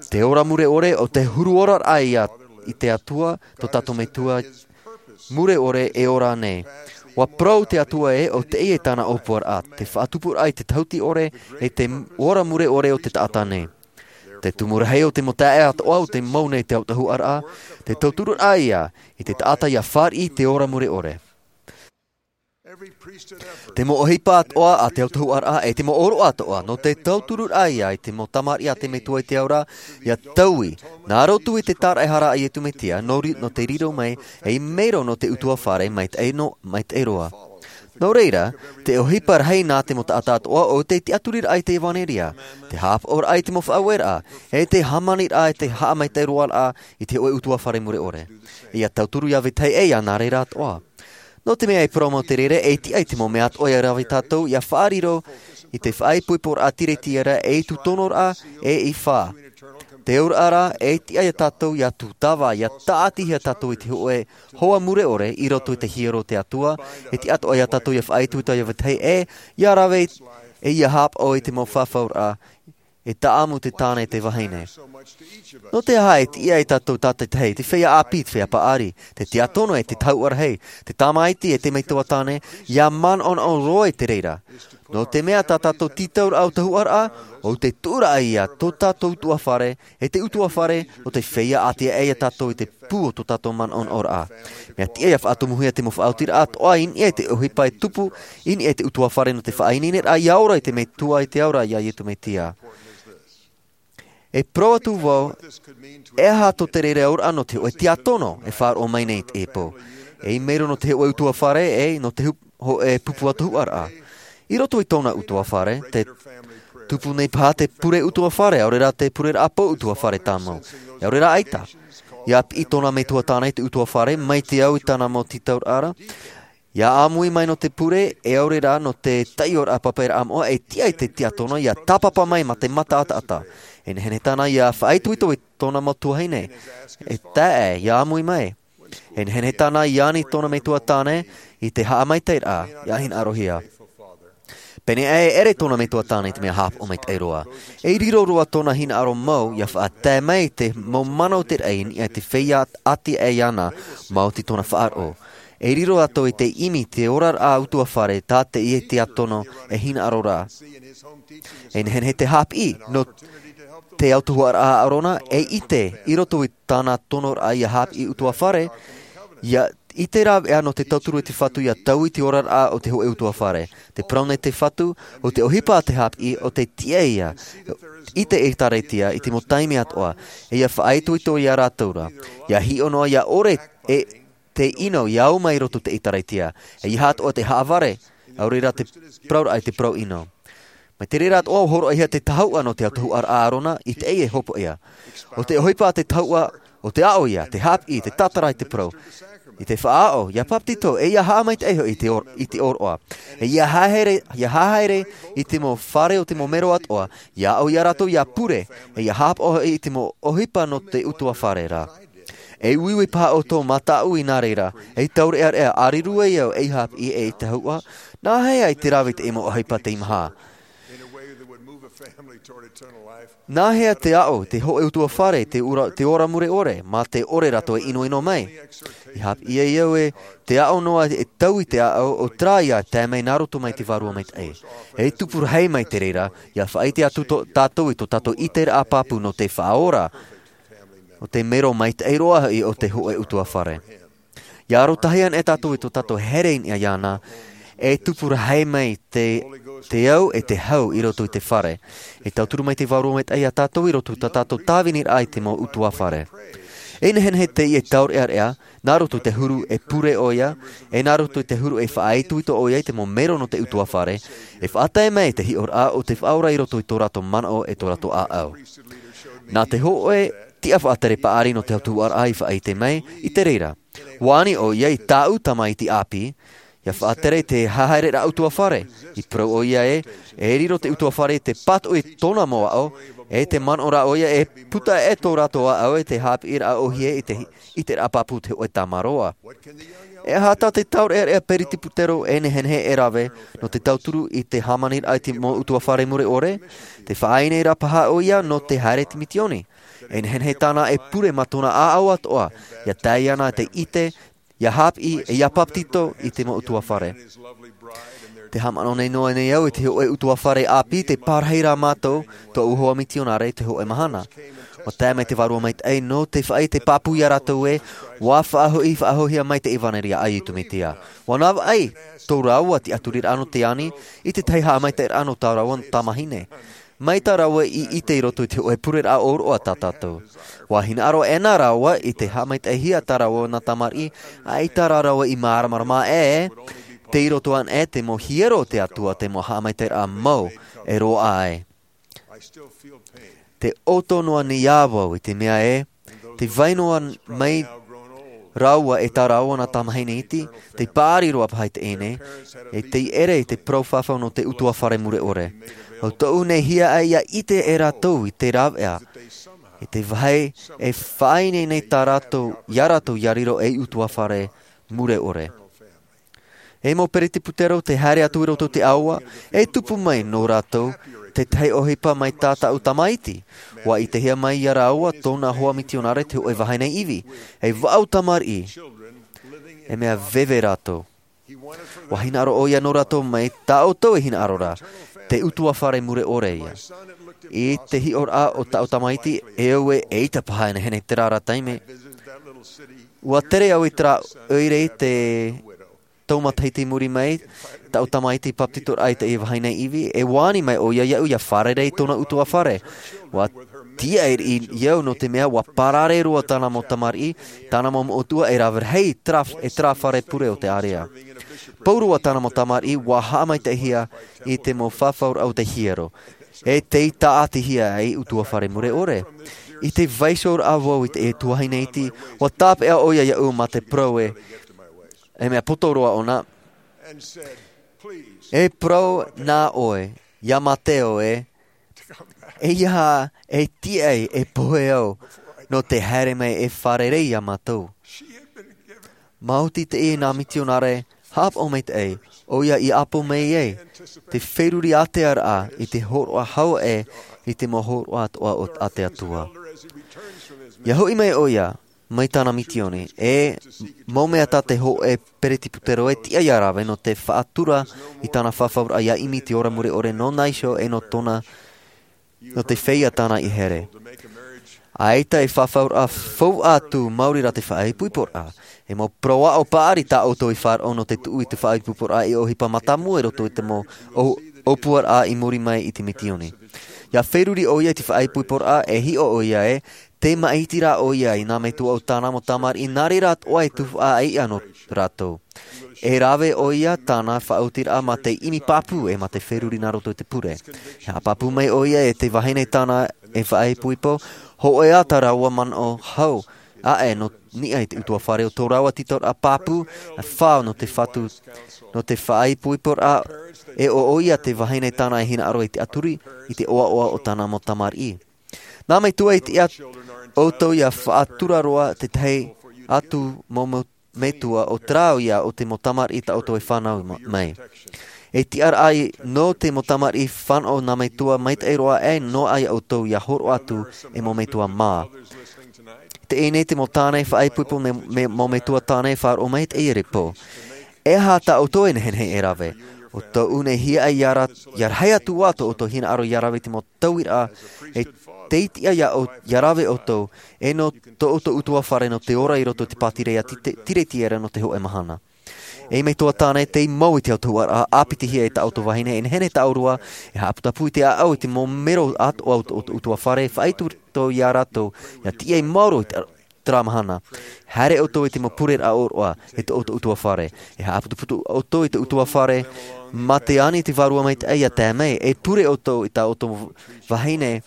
Te ora mure ʻore o te huru oraraʻa i te atua tō tātou metua mure ʻore e ora nei. Ua parau te atua ē o teie tāna ʻōpuaraʻa, te faʻatupuraʻa i te tahuti ʻore e te ora mure ʻore o te taʻata nei. Te tumu rahi o te mau taeaʻe atoʻa o te mau nei te autahuʻaraʻa, te tauturuʻraʻa ia i te taʻata ia fāriʻi i te ora mure ʻore. Te mau ʻohipa atoʻa a te autahuʻaraʻa e te mau ʻōroʻa atoʻa nō te tauturuʻraʻa ia i te mau tamariʻi a te metua i te aorara, ia taui nā roto i te tāraʻehara a iesu mesia nō te riro mai ei mero nō te utuafare maitaʻi roa. Nō reira, te ʻohipa rahi nā te mau taʻata atoʻa o te tiʻaturiraʻa i te evanelia, te hāpaʻoraʻa i te mau faʻaueraʻa, e te hāmaniraʻa i te haʻamaitaʻi roaraʻa i te hoʻe utuafare mure ʻore. Ia tauturu ia vetahi ʻē ia nā reira atoʻa. Nō te mea e parau mau te reira e tiʻa i te mau mea atoʻa ia rave tātou ia faʻariro i te faʻaipoiporaʻa tiretiara e i tū tonoraʻa e i fā. Te auraʻa rā e tiʻa ia tātou ia tūtava ia taʻatihia tātou i te hoʻe hoa mure ʻore i roto i te hiero o te atua. E tiʻa atoʻa ia tātou ia faʻaitoito ia vetahi ʻē ia rave e ia hāpaʻo i te mau fafauraʻa e taʻamu te tāne te vahine. Nō te aha e tiʻa ai tātou tātaitahi te feiā ʻāpī, te feiā paʻari, te tiakono e te tahuʻa rahi, te tamaiti e te metua tāne, ia manaʻonaʻo roa i te reira? Nō te mea tā tātou tītauraʻa o tahuʻaraʻa o te tuʻuraʻa ia tō tātou utuafare, e te utuafare o te feiā ʻāti aʻe ia tātou i te pū o tō tātou manaʻonaʻoraʻa. Mea tiʻa ia faʻatomuhia te mau faʻaotiraʻa atoʻa i niʻa i te ʻohipa e tupu i niʻa i te utuafare nō te faʻaineineraʻa ia ora i te metua i te aorara iā iesu mesia. E parau atu vau, e aha tō te reira auraʻa nō te hoʻe tiakono e faʻaroʻo mai nei i teie pō? E i mero nō te hoʻe utuafare e nō te hoʻe pupu atohuʻaraʻa i roto i tōna utuafare te tupu nei paha te pure utuafare ʻaore rā te pureraʻa pō utuafare tāmau, ʻaore rā ʻaita. Ia piʻi tōna metua tāne i te utuafare mai te au i tāna mau tītauraʻa, ia ʻāmui mai nō te pure e ʻaore rā nō te taioraʻa papairaʻa moʻa e tiʻa i te tiakono ia tāpapa mai mā te mata ataata. E nehenehe tāna ia faʻaitoito i tōna mau tuahine e tae ia ʻāmui mai. E nehenehe tāna ia ani tōna metua tāne i te haʻamaitaʻiraʻa ia hinaʻarohia. Pēnei aʻe e ʻere tōna metua tāne i te mea hāpaʻo maitaʻi roa. E riro roa tōna hinaʻaro mau ia faʻatae mai i te mau manaʻo te raʻi i niʻa i te feiā ʻāti aʻe iāna. Maoti tōna faʻaroʻo e riro atu i te ʻimi te oraraʻa utuafare tā te ia tiakono e hinaʻaro rā. E nehenehe te hāpiʻi nō te autahuʻaraʻa a ʻarona e ʻite i roto i tāna tonoraʻa ia hāpiʻi utuafare ia ʻite rāveʻa nō te tauturu i te fatu ia taui te oraraʻa o te hoʻe utuafare. Te parau nei te fatu o te ʻohipa a te hāpiʻi o te tiʻa ia i te ʻēkālesia i te mau taime atoʻa e ia faʻaitoito iā rātou rā ia hiʻo noa ia ʻore e te ʻino ia au mai i roto i te ʻēkālesia. E ia hatoʻa te haʻavare ʻaore rā te parauraʻa i te parau ʻino. Mai te reira atoʻa ua horoʻahia te tahuʻa nō te autahuʻaraʻa a ʻarona i teie hopoʻia. O te ʻohipa a te tahuʻa o te aʻo ia te hāpiʻi te tātara i te parau i te faʻaaʻo ia papetito e ia haʻamaitaʻi hoʻi i te ʻōroʻa e ia haere ia haere i te mau fare o te mau mero atoʻa ia aʻo iā rātou ia pure e ia hāpaʻo hoʻi i te mau ʻohipa nō te utuafare rā. E uiui paha ʻoutou mā tāʻu i nā reira e taureʻareʻa ʻārirua i au ei hāpiʻi e ei tahuʻa. Nāhea i te rave i te mau ʻohipa teimaha? Nāhea te aʻo te hoʻe utuafare te ora mure ʻore mā te ʻore rātou e ʻinoʻino mai? I hāpiʻi ai au e te aʻo noa e taui te aʻo o te rā ia tae mai nā roto mai te vārua maitaʻi. E tupu rahi mai te reira ia faʻaʻite atu tātou i tō tātou ʻiteraʻa pāpū nō te faʻaora o te mero maitaʻi roa hoʻi o te hoʻe utuafare. Ia arotahi ana e tātou i tō tātou here i niʻa iāna e tupu rahi mai te te au e te hau i roto i te fare. E tauturu mai te vārua maitaʻi iā tātou i roto i tā tātou tāviniraʻa i te mau utuafare. E nehenehe teie taurearea, nā roto i te huru e pure ʻoia, e nā roto i te huru e faʻaitoito ʻoia i te mau mero nō te ʻutuāfare, e faʻatae mai te hiʻoraʻa o te faʻaora i roto i tō rātou manaʻo e tō rātou ʻāʻau. Nā te hōʻē tiʻa faʻatere paʻari nō te autahuʻaraʻa i faʻaʻite mai, i te reira. Ua ani ʻoia i tāʻu tamaiti ʻāpī, ʻia faʻatere i te haereraʻa ʻutuāfare, i parau ʻoia ē, e riro te ʻutuāfare i te pātoʻi i tōna mau aʻo, e te manaʻo rā ʻoia e puta e tō rātou ʻāʻau e te haʻapiʻiraʻa ʻōhie i te, i te raʻa pāpū te hōʻē tamaroa. E aha tā te taurearea peretiputero e nehenehe e rave, nō te tauturu i te hāmaniraʻa i te mau ʻutuāfare mure ʻore, te faʻaineineraʻa paha ʻoia nō te haere i te mitioni. E nehenehe tāna e pure mā tōna ʻāʻau atoʻa, ʻia tae ana te ʻite, ʻia haʻapiʻi, e ʻia papetito i te mau ʻutuāfare. Te haʻamanaʻo nei noa nei au i te hōʻē ʻutuāfare ʻāpī, te parahi rā mātou, tōʻu hoa mitionare i te hōʻē mahana. ʻUa tae mai te Vārua Maitaʻi nō te faʻaʻite pāpū ia rātou ē, ʻua faʻahoʻi, faʻahoʻihia mai te ʻevanelia a Iesu Mesia. ʻUa navaʻi tō rāua tiʻaturiraʻa nō te ani, i te tahi haʻamaitaʻiraʻa nō tā rāua tamahine. Mai tā rāua i ʻite i roto i te hōʻē pureraʻa ʻōroʻa tā tātou. ʻUa hinaʻaro ʻē nā rāua i te haʻamaitaʻihia tā rāua nā tamariʻi, ʻaita rā rāua i māramarama ē, tei roto ana ē te mau hiero o te Atua te mau haʻamaitaʻiraʻa mau e roaʻa ai. Te ʻoto noa nei ā vau i te mea ē, te vai noa mai rāua e tā rāua nā tamahine iti, te paʻari roa paha i teie nei, e tei ʻere i te parau fafau nō te ʻutuāfare mure ʻore. ʻO tōʻu nei hiaʻai ʻia ʻite e rātou i te rāveʻa, i te vāhi e faʻaineine tā rātou, ia rātou ʻia riro ei ʻutuāfare mure ʻore. E mau peretiputero te haere atu i roto i te ʻāua, e tupu mai nō rātou, te tahi ʻohipa mai tā tāʻu tamaiti. ʻUa ʻitehia mai ia rāua tōna hoa mitionare te hōʻē vahine ivi, e vaʻu tamariʻi, e mea veve rātou. ʻUa hinaʻaro ʻoia nō rātou mai tā ʻoutou e hinaʻaro ra, te ʻutuāfare mure ʻore ia. I te hiʻoraʻa o tāʻu tamaiti, e au ē, eʻita paha e nehenehe terā ra taime. ʻUa tere au i terā ʻoire i te tau matahiti i muri mai, tāʻu tamaiti papetitoraʻa i teie vahine ivi, e ʻua ani mai ʻoia iaʻu ʻia fārerei i tōna ʻutuāfare. ʻUa tiaʻi riʻi au nō te mea ʻua parare roa tāna mau tamariʻi, tāna mau moʻotua e rave rahi i terā, i terā fare pure o te ārea. Pauroa tāna mau tamariʻi, ʻua haʻamaitaʻihia i te mau fafauraʻa o te hiero. E tei tāʻatihia ei ʻutuāfare mure ʻore. I te vaiihoraʻa vau i te tuahine iti, ʻua tāpeʻa ʻoia iaʻu mā te parau ē, e mea poto roa ʻōna. E parau nā ʻoe, ia Mateo ē, ʻeiaha e tiaʻi e pohe au, nō te haere mai e fārerei ia mātou. Maoti teie nā mitionare, haʻapaʻo maitaʻi, ʻoia i ʻapo mai ai, te feruri ātearaʻa i te hōroʻa hau ē, i te mau hōroʻa atoʻa o, a te Atua. ʻIa hoʻi mai ʻoia, mai tāna mitioni, e mau mea tā te hōʻē peretiputero e tiʻa ʻia rave nō te faʻatura i tāna fafauraʻa ʻia ʻimi i te ora mure ʻore nō nā iho e nō tōna, nō te feiā tāna i here. ʻAita e fafauraʻa faufaʻa atu maori rā te faʻaipoiporaʻa, e mau parau aʻo paʻari tā ʻoutou i faʻaroʻo nō te tuʻu i te faʻaipoiporaʻa e ʻohipa mātāmua i roto i te mau ʻō-, ʻōpuaraʻa i muri mai i te mitioni. ʻIa feruri ʻoia i te faʻaipoiporaʻa e hiʻo ʻoia ē, tē maʻiti rā ʻoia i nā metua o tāna mau tamariʻi, nā reira atoʻa e tuhaʻa ʻaiʻa nō rātou. E rave ʻoia tāna faʻaotiraʻa mā te ʻimi pāpū e mā te feruri nā roto i te pure. E haʻapāpū mai ʻoia e te vahine tāna e faʻaipoipo, hōʻē ā tā rāua manaʻo hau, aʻe nō niʻa i te ʻutuāfare o tō rāua tītauraʻa pāpū, e fā nō te fatu, nō te faʻaipoiporaʻa, e ʻo ʻoia te vahine tāna e hinaʻaro i te aturi, i te ʻoaʻoa o tāna mau tamariʻi. Nā metua e tiʻa ʻoutou ʻia faʻatura roa te tahi atu mau, mau metua ʻo terā ïa o te mau tamariʻi tā ʻoutou e fānau ma-, mai. E tiʻaraʻa nō te mau tamariʻi fānau nā metua maitaʻi roa e noaʻa ia ʻoutou ʻia hōroʻa atu e mau metua mā. Teie nei te mau tāne faʻaipoipo me, me, mau metua tāne faʻaroʻo mai teie repo. E aha tā ʻoutou e nehenehe e rave? ʻO tōʻu nei hiaʻai ʻia ra-, ʻia rahi atu ā tō ʻoutou hinaʻaro ʻia rave i te mau tauiraʻa, e tei tiʻa ʻia ʻo-, ʻia rave ʻoutou, e nō tō ʻoutou ʻutuāfare nō te ora i roto i te pātireia ti-, tiretiera nō te hōʻē mahana. E metua tāne, tei mau i te autahuʻaraʻa ʻāpitihia e tā ʻoutou vahine, e nehenehe tā ʻōrua e haʻaputapū i te ʻāʻau i te mau mero atoʻa o tō ʻoutou ʻutuāfare, faʻaitoito ia rātou ʻia tiʻa i maoro i te Terā mahana, haere ʻoutou i te mau pureraʻa ʻōroʻa e tō ʻoutou ʻutuāfare. E haʻaputuputu ʻoutou i te ʻutuāfare, mā te ani te Vārua Maitaʻi ia tae mai, e pure ʻoutou i tā ʻoutou vahine,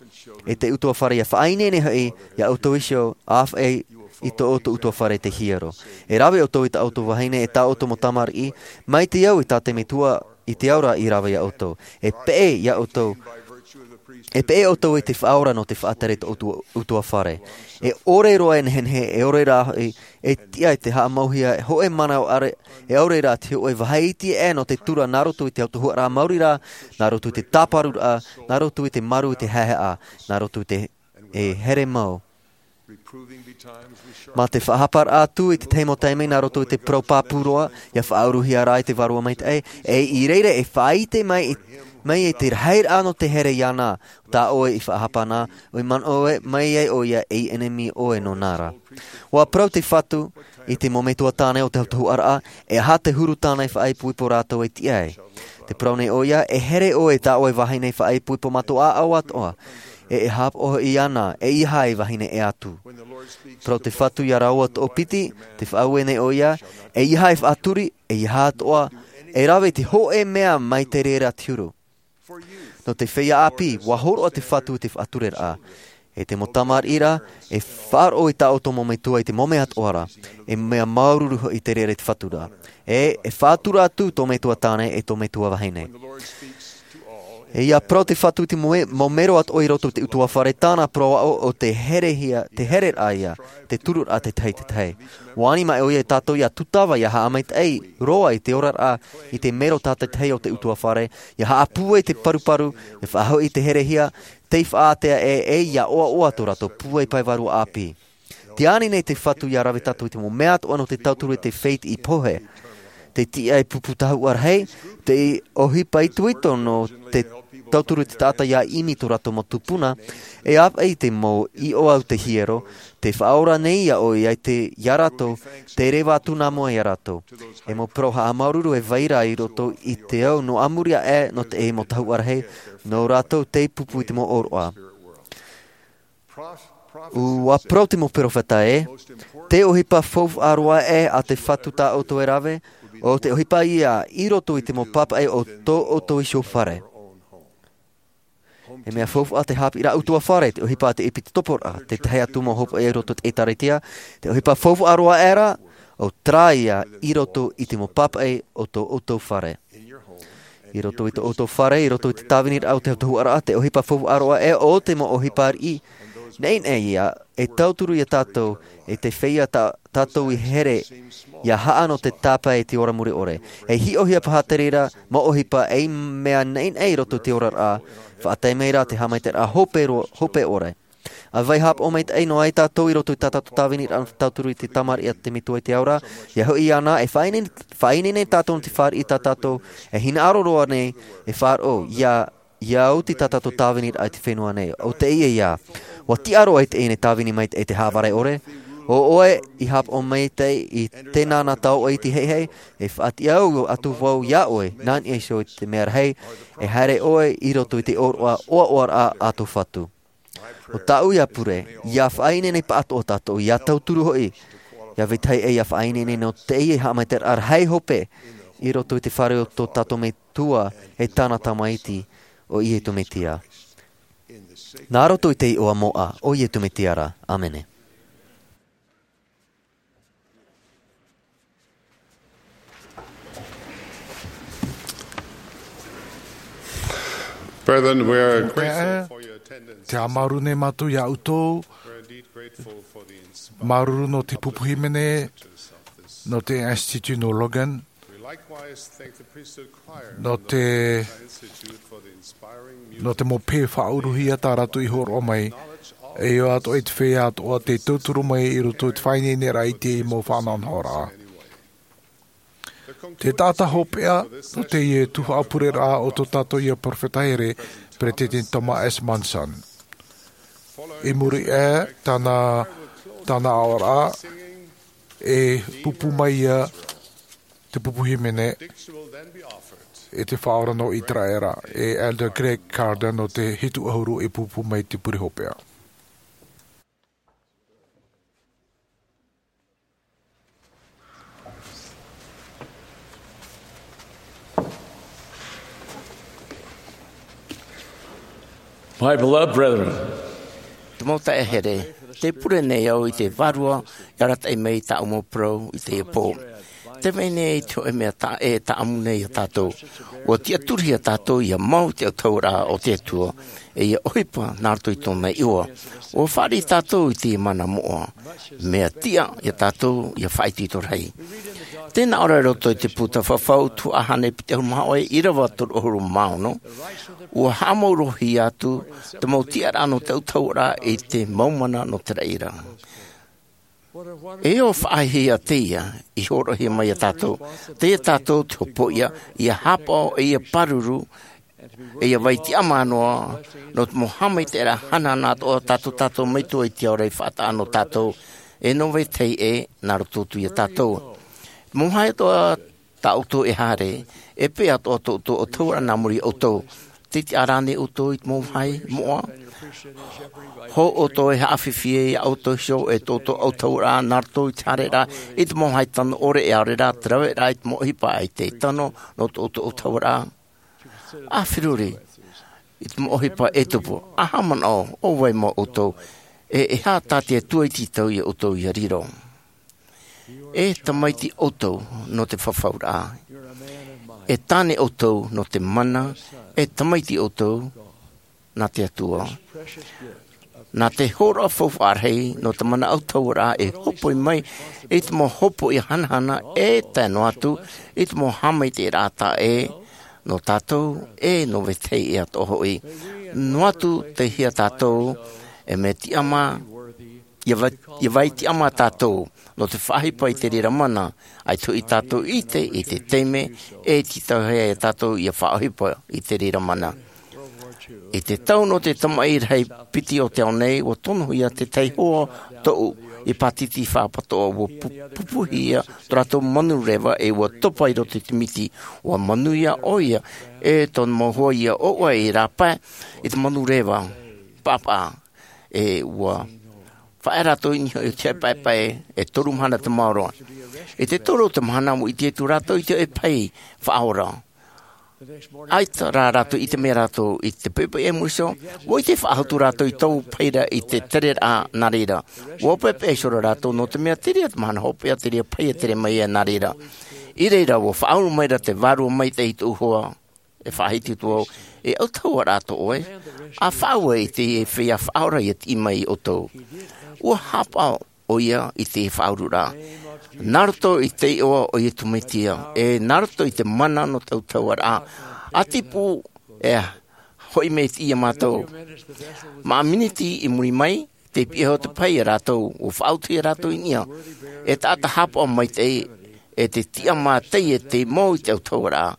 e te ʻutuāfare ia faʻaineine hoʻi ia ʻoutou iho, āfaʻi i tō ʻoutou ʻutuāfare te hiero. E rave ʻoutou i tā ʻoutou vahine, e tā ʻoutou mau tamariʻi, mai te au i tā te Metua i te ao ra i rave ia ʻoutou. E peʻe ia ʻoutou, e peʻe ʻoutou i te faʻaora nō te faʻatere i tō ʻoutou ʻutuāfare. E ʻore roa e nehenehe, e ʻore rā hoʻi e tiʻa i te haʻamauhia e hōʻē mana ʻore, e ʻaore rā te hōʻē vāhi iti aʻe nō te tura nā roto i te autahuʻaraʻa maori rā, nā roto i te tāparuraʻa, nā roto i te maru i te haehaʻa, nā roto i te, e here mau. Mā te faʻahaparaʻa atu i te tahi mau taime nā roto i te parau pāpū roa, ia faʻauruhia rā i te Vārua Maitaʻi, e i reira e faʻaʻite mai i, mai i te rahiraʻa nō te here iāna, tā ʻoe i faʻahapa na, ʻo i manaʻo mai ai ʻoia ei ʻenemi ʻoe nōna ra. ʻUa parau te Fatu i te mau metua tāne o te autahuʻaraʻa, e aha te huru tāne faʻaipoipo rātou e tiʻa ai. Te parau nei ʻoia, e here ʻoe i tā ʻoe vahine faʻaipoipo mātou ʻāʻau atoʻa, e e haʻapaʻo hoʻi iāna, eiaha e vahine ʻē atu. Parau te Fatu ia rāua toʻopiti, te faʻaue nei ʻoia, eiaha e faʻaturi, eiaha atoʻa e rave i te hōʻē mea mai te reira te huru. Nō te feiā ʻāpī, ʻua hōroʻa te Fatu i te faʻatureraʻa. E te mau tamariʻi ra, e faʻaroʻo i tā ʻoutou mau metua i te mau mea atoʻa ra, e mea māuruuru hoʻi te reira i te Fatu ra. E, e faʻatura atu tō metua tāne e tō metua vahine. E ia parau te Fatu i te moe-, mau mero atoʻa i roto i te ʻutuāfare, tāna parau aʻo ʻo te herehia, te hereraʻa ia, te tururaʻa te tahi te tahi. ʻUa ani mai ʻoia ia tātou ia tūtava, ia haʻamaitaʻi roa i te oraraʻa, i te mero tātaʻitahi o te ʻutuāfare, ia haʻapūai te paruparu, ia faʻahoʻi i te herehia, tei faʻaātea ē, e ia ʻoaʻoa tō rātou pūai pae vārua ʻāpī. Tē ani nei te Fatu ia rave tātou i te mau mea atoʻa nō te tauturu i te fētiʻi pohe. Te tiʻa i pupu tahuʻa rahi, te ʻohipa itoito nō te tauturu i te taʻata ia ʻimi tō rātou mau tupuna, e āfaʻi i te mau iʻoa o te hiero, tē faʻaora nei ia ʻoe ia te, ia rātou, tē reva atu nā mua ia rātou. E mau parau haʻamāuruuru e vai ra i roto i te ao nō ʻamuri aʻe nō te mau tahuʻa rahi, nō rātou tei pupu i te mau ʻōroʻa. ʻUa parau te mau perofeta ē, te ʻohipa faufaʻa roa aʻe a te Fatu tā ʻoutou e rave, ʻo te ʻohipa ia i roto i te mau pāpaʻi o tō ʻoutou iho fare. E mea faufaʻa te haʻapiʻiraʻa ʻutuāfare, te ʻohipa a te ʻepitoporaʻa, te tahi atu mau hopeʻa i roto i te ʻĒtārētia, te ʻohipa faufaʻa roa aʻe ra, ʻo terā ia i roto i te mau pāpaʻi o tō ʻoutou fare. I roto i tō ʻoutou fare, i roto i te tāviniraʻa o te autahuʻaraʻa, te ʻohipa faufaʻa roa aʻe ʻo te mau ʻohipa riʻi, neʻineʻi ia, e tauturu ia tātou, e te feiā tā, tātou i here, ia haʻa nō te tāpae i te ora mure ʻore. E hiʻohia paha te reira mau ʻohipa ei mea neʻineʻi i roto i te oraraʻa, faʻatae mai rā te haʻamaitaʻiraʻa hope ro-, hope ʻore. ʻA vai haʻapaʻo maitaʻi noa ai tātou i roto i tā tātou tāviniraʻa nō te tauturu i te tamariʻi a te Metua i te ao ra, ia hoʻi iāna, e faʻaineine, faʻaineine tātou nō te fāriʻi tā tātou, e hinaʻaro roa nei, e faʻaroʻo, ia, ia oti tā tātou tāviniraʻa i te fenua nei, ʻo teie ia. ʻUa tiʻa roa i teie nei tāvini maitaʻi te haʻavare ʻore, ʻo ʻoe i haʻapaʻo maitaʻi i tēnā nā tauʻa iti heihei, e faʻatiʻa atu vau iā ʻoe, nā niʻa iho i te mea rahi, e haere ʻoe i roto i te ʻōroʻa, ʻoaʻoaraʻa a tō Fatu. ʻO tāʻu ia pure, ia faʻaineine pāʻatoʻa tātou, ia tauturu hoʻi, ia vetahi ʻē ia faʻaineine nō teie haʻamaitaʻiraʻa rahi hope, i roto i te fare o tō tātou Metua, e tāna Tamaiti, ʻo Iesu Mesia. Nā roto i te iʻoa moʻa, o Iesu Mesia ra. ʻĀmene. Brethren, we are grateful for your attendance. Te āmāru nei mātou iā ʻoutou. We're indeed grateful for the inspiring māuruuru nō te pupu hīmene, nō te Institut nō Logan, nō te, nō te mau pē faʻauruhia tā rātou i hōroʻa mai, e ʻoia atoʻa i te feiā atoʻa tei tauturu mai i roto i te faʻaineineraʻa i te mau faʻanahonahoraʻa. Te taʻata hopeʻa nō teie tuhaʻa pureraʻa o tō tātou ia perofeta here, Peresideni Thomas S. Monson. I muri aʻe tāna, tāna aʻoraʻa, e pupu mai ia te pupu hīmene, e te Faʻaora nō Iteraera, e Elder Greg Carden nō te hitu ʻahuru e pupu mai te pure hopeʻa. My beloved brethren, te mau taeaʻe here, tē pure nei au i te Vārua e arataʻi mai i tāʻu mau parau i teie pō. Tē vai nei te hōʻē mea ta-, e tāʻamu nei ia tātou. ʻUa tiʻaturihia tātou ʻia mau i te autahuʻaraʻa o te Atua, ʻe ʻia ʻohipa nā roto i tōna iʻoa. ʻUa fāriʻi tātou i te mana moʻa. Mea tiʻa ia tātou ʻia faʻaitoito rahi. Tē nā ʻō ra i roto i te puta Fafau, tuhaʻa hānere piti ʻahuru mā hōʻē, ʻīrava toru ʻahuru mā ono, ʻua haʻamāuruuruhia atu te mau tiʻaraʻa nō te autahuʻaraʻa i te mau mana nō te raʻi ra. E ʻo faʻahiahia teie i hōroʻahia mai ia tātou. Teie tātou te hopoiʻa, ʻia haʻapaʻo, ʻe ʻia pāruru, ʻe ʻia vai tiʻamā noa, nō te mau haʻamaitaʻiraʻa hanahana atoʻa tā tō tātou Metua i te ao ra i faʻataʻa nō tātou, ʻe nō vetahi ʻē, nā roto atu ia tātou. Mau vāhi atoʻa tā ʻoutou e haere, e peʻe atoʻa tō ʻoutou autahuʻaraʻa nā muri iā ʻoutou. Tē tiʻa ra ānei ʻoutou i te mau vāhi moʻa? Hou ʻoutou e haʻafifi iā ʻoutou iho ʻe tō ʻoutou autahuʻaraʻa nā roto i te haereraʻa i te mau vāhi tano ʻore, ʻe ʻaore rā te raveraʻa i te mau ʻohipa ʻaita e tano nō tō ʻoutou autahuʻaraʻa. ʻA feruri i te mau ʻohipa e tupu, ʻa haʻamanaʻo, ʻo vai mau ʻoutou, ʻe e aha tā te Atua i tītau iā ʻoutou ʻia riro. E tamaiti ʻoutou nō te fafauraʻa. E tāne ʻoutou nō te mana, e tamaiti ʻoutou nā te Atua. Nā te hōroʻa faufaʻa rahi nō te mana autahuʻaraʻa e hopoi mai i te mau hopoiʻa hanahana, e tae noa atu i te mau haʻamaitaʻiraʻa taʻa ʻē nō tātou, ʻe nō vetahi ʻē atoʻa hoʻi. Noa atu tei hea tātou, e mea tiʻamā, ʻia vai, ʻia vai tiʻamā tātou nō te faʻaʻohipa i te reira mana, ʻaita hoʻi tātou i ʻite i te taime e tītauhia ai tātou ʻia faʻaʻohipa i te reira mana. I te tau nō te tamaʻi rahi piti o te ao nei, ʻua tonohia te tahi hoa toʻu i Pātiti Fapatoʻa, ʻua pu-, pupuhia tō rātou manureva ʻe ʻua topa i roto i te miti, ʻua manuia ʻoia, ʻe tōna mau hoa ʻia ʻoaʻoa i rāpae i te manureva paʻapaʻa, ʻe ʻua faʻaea rātou i niʻa i te paepae, e toru mahana te maoro. I te toru o te mahana, ʻua ʻite atu rātou i te hōʻē pahi faʻaora. ʻAita rā rātou i ʻite mai rātou i te poʻipoʻi i mua iho, ʻua ʻite faʻahou atu rātou i taua pahi ra i te tereraʻa nā reira. ʻUa peʻapeʻa iho rā rātou, nō te mea terā te mahana hopeʻa, terā pahi e tere mai ai nā reira. I reira, ʻua faʻaʻuru mai ra te Vārua Maitaʻi i tōʻu hoa, e faʻahiti atu vau, e autahuʻaraʻa tō ʻoe, ʻa faʻaue i te feiā faʻaora ʻia tiʻi mai iā ʻoutou. ʻUa haʻapaʻo ʻoia i te faʻaururaʻa. Nā roto i te iʻoa o Iesu Mesia, ʻe nā roto i te mana nō te autahuʻaraʻa, ʻa tipu e hoʻi mai iā mātou. Mā miniti i muri mai, tei piʻi iho te pahi ia rātou, ʻua faʻaotihia rātou i niʻa. E taʻata haʻapaʻo maitaʻi, ʻe te tiʻamā teie tei mau i te autahuʻaraʻa.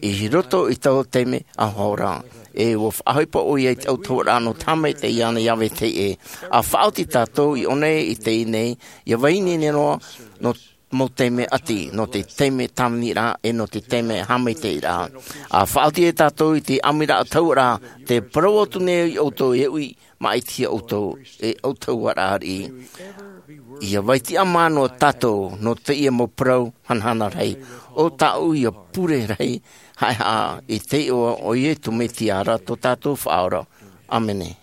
I roto i taua taime ʻahoʻa ra, ʻe ʻua faʻaʻohipa ʻoia i te autahuʻaraʻa nō te haʻamaitaʻi iāna ia vetahi ʻē. ʻA faʻaoti tātou i ʻō nei, i teie nei, ʻia vai ineine noa, nō mau taime ʻati, nō te taime tāviniraʻa, ʻe nō te taime haʻamaitaʻiraʻa. ʻA faʻaoti ia tātou i te ʻāmuiraʻa autahuʻaraʻa, tē parau atu nei iā ʻoutou e uʻi, maʻitihia ʻoutou, e autahuʻaraʻa ariʻi. ʻIa vai tiʻamā noa tātou, nō teie mau parau hanahana rahi. ʻO tāʻu ia pure rahi, haʻehaʻa i te iʻoa o Iesu Mesia ra tō tātou Faʻaora. ʻĀmene.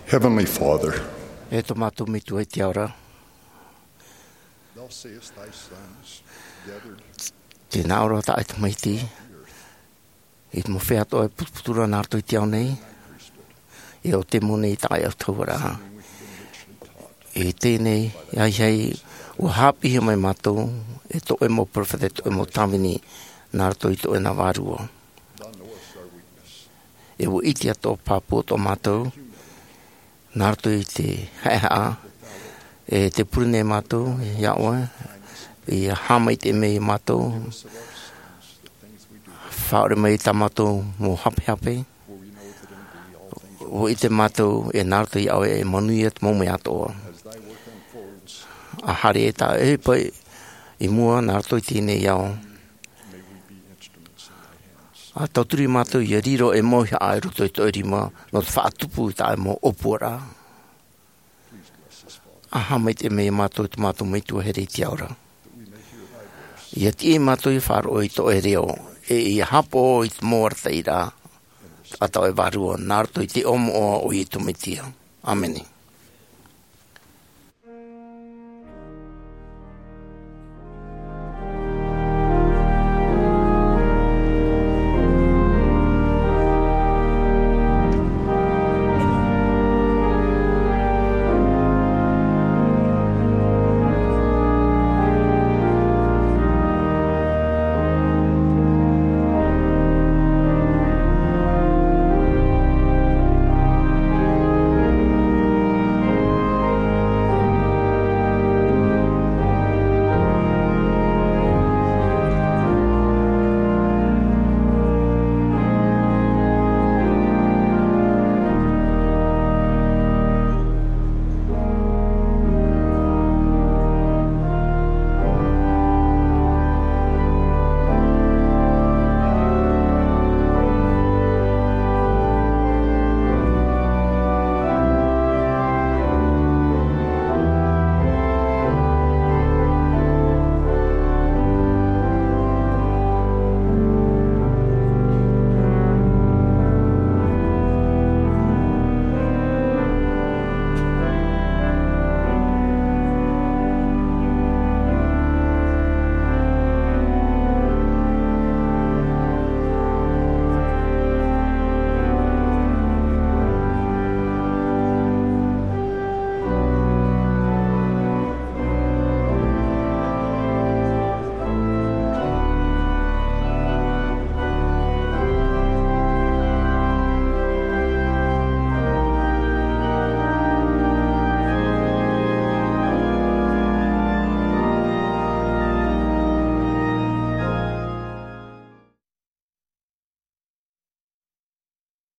Heavenly Father, e tō mātou Metua i te ao ra, thou seest thy sons gathered tēnā ora tā e tamaiti, i te mau feiā atoʻa e putuputu ra nā roto i te ao nei, e o te mau nei tā e au tauara. I teie nei, ia hei, ua haʻapiʻihia mai mātou, e tō ʻoe mau peropheta, e tō ʻoe mau tāvini, nā roto i tō ʻoe nā vārua. E ua ʻite atoʻa pāpū atoʻa mātou, nā roto i te haʻehaʻa, e te pure nei mātou, ia ʻoe, ia haʻamaitaʻi mai mātou, faʻaʻore mai tā mātou mau hapehape, ua ʻite mātou, e nā roto ia ʻoe, e manuia te mau mea atoʻa. ʻA haere e tā ʻoe pae i mua, nā roto i teie nei ao. ʻA tauturu mātou ia riro e mau haʻa i roto i tō ʻoe rima, nō te faʻatupu i tā ʻoe mau ʻōpuaraʻa. ʻA haʻamaitaʻi mai mātou i tō mātou Metua here i te ao ra. Ia tiʻi mātou ia faʻaroʻo i tō ʻoe reo, e ia haʻapaʻo i te mau arataʻiraʻa, a tā ʻoe vārua, nā roto i te iʻoa moʻa o Iesu Mesia. ʻĀmene.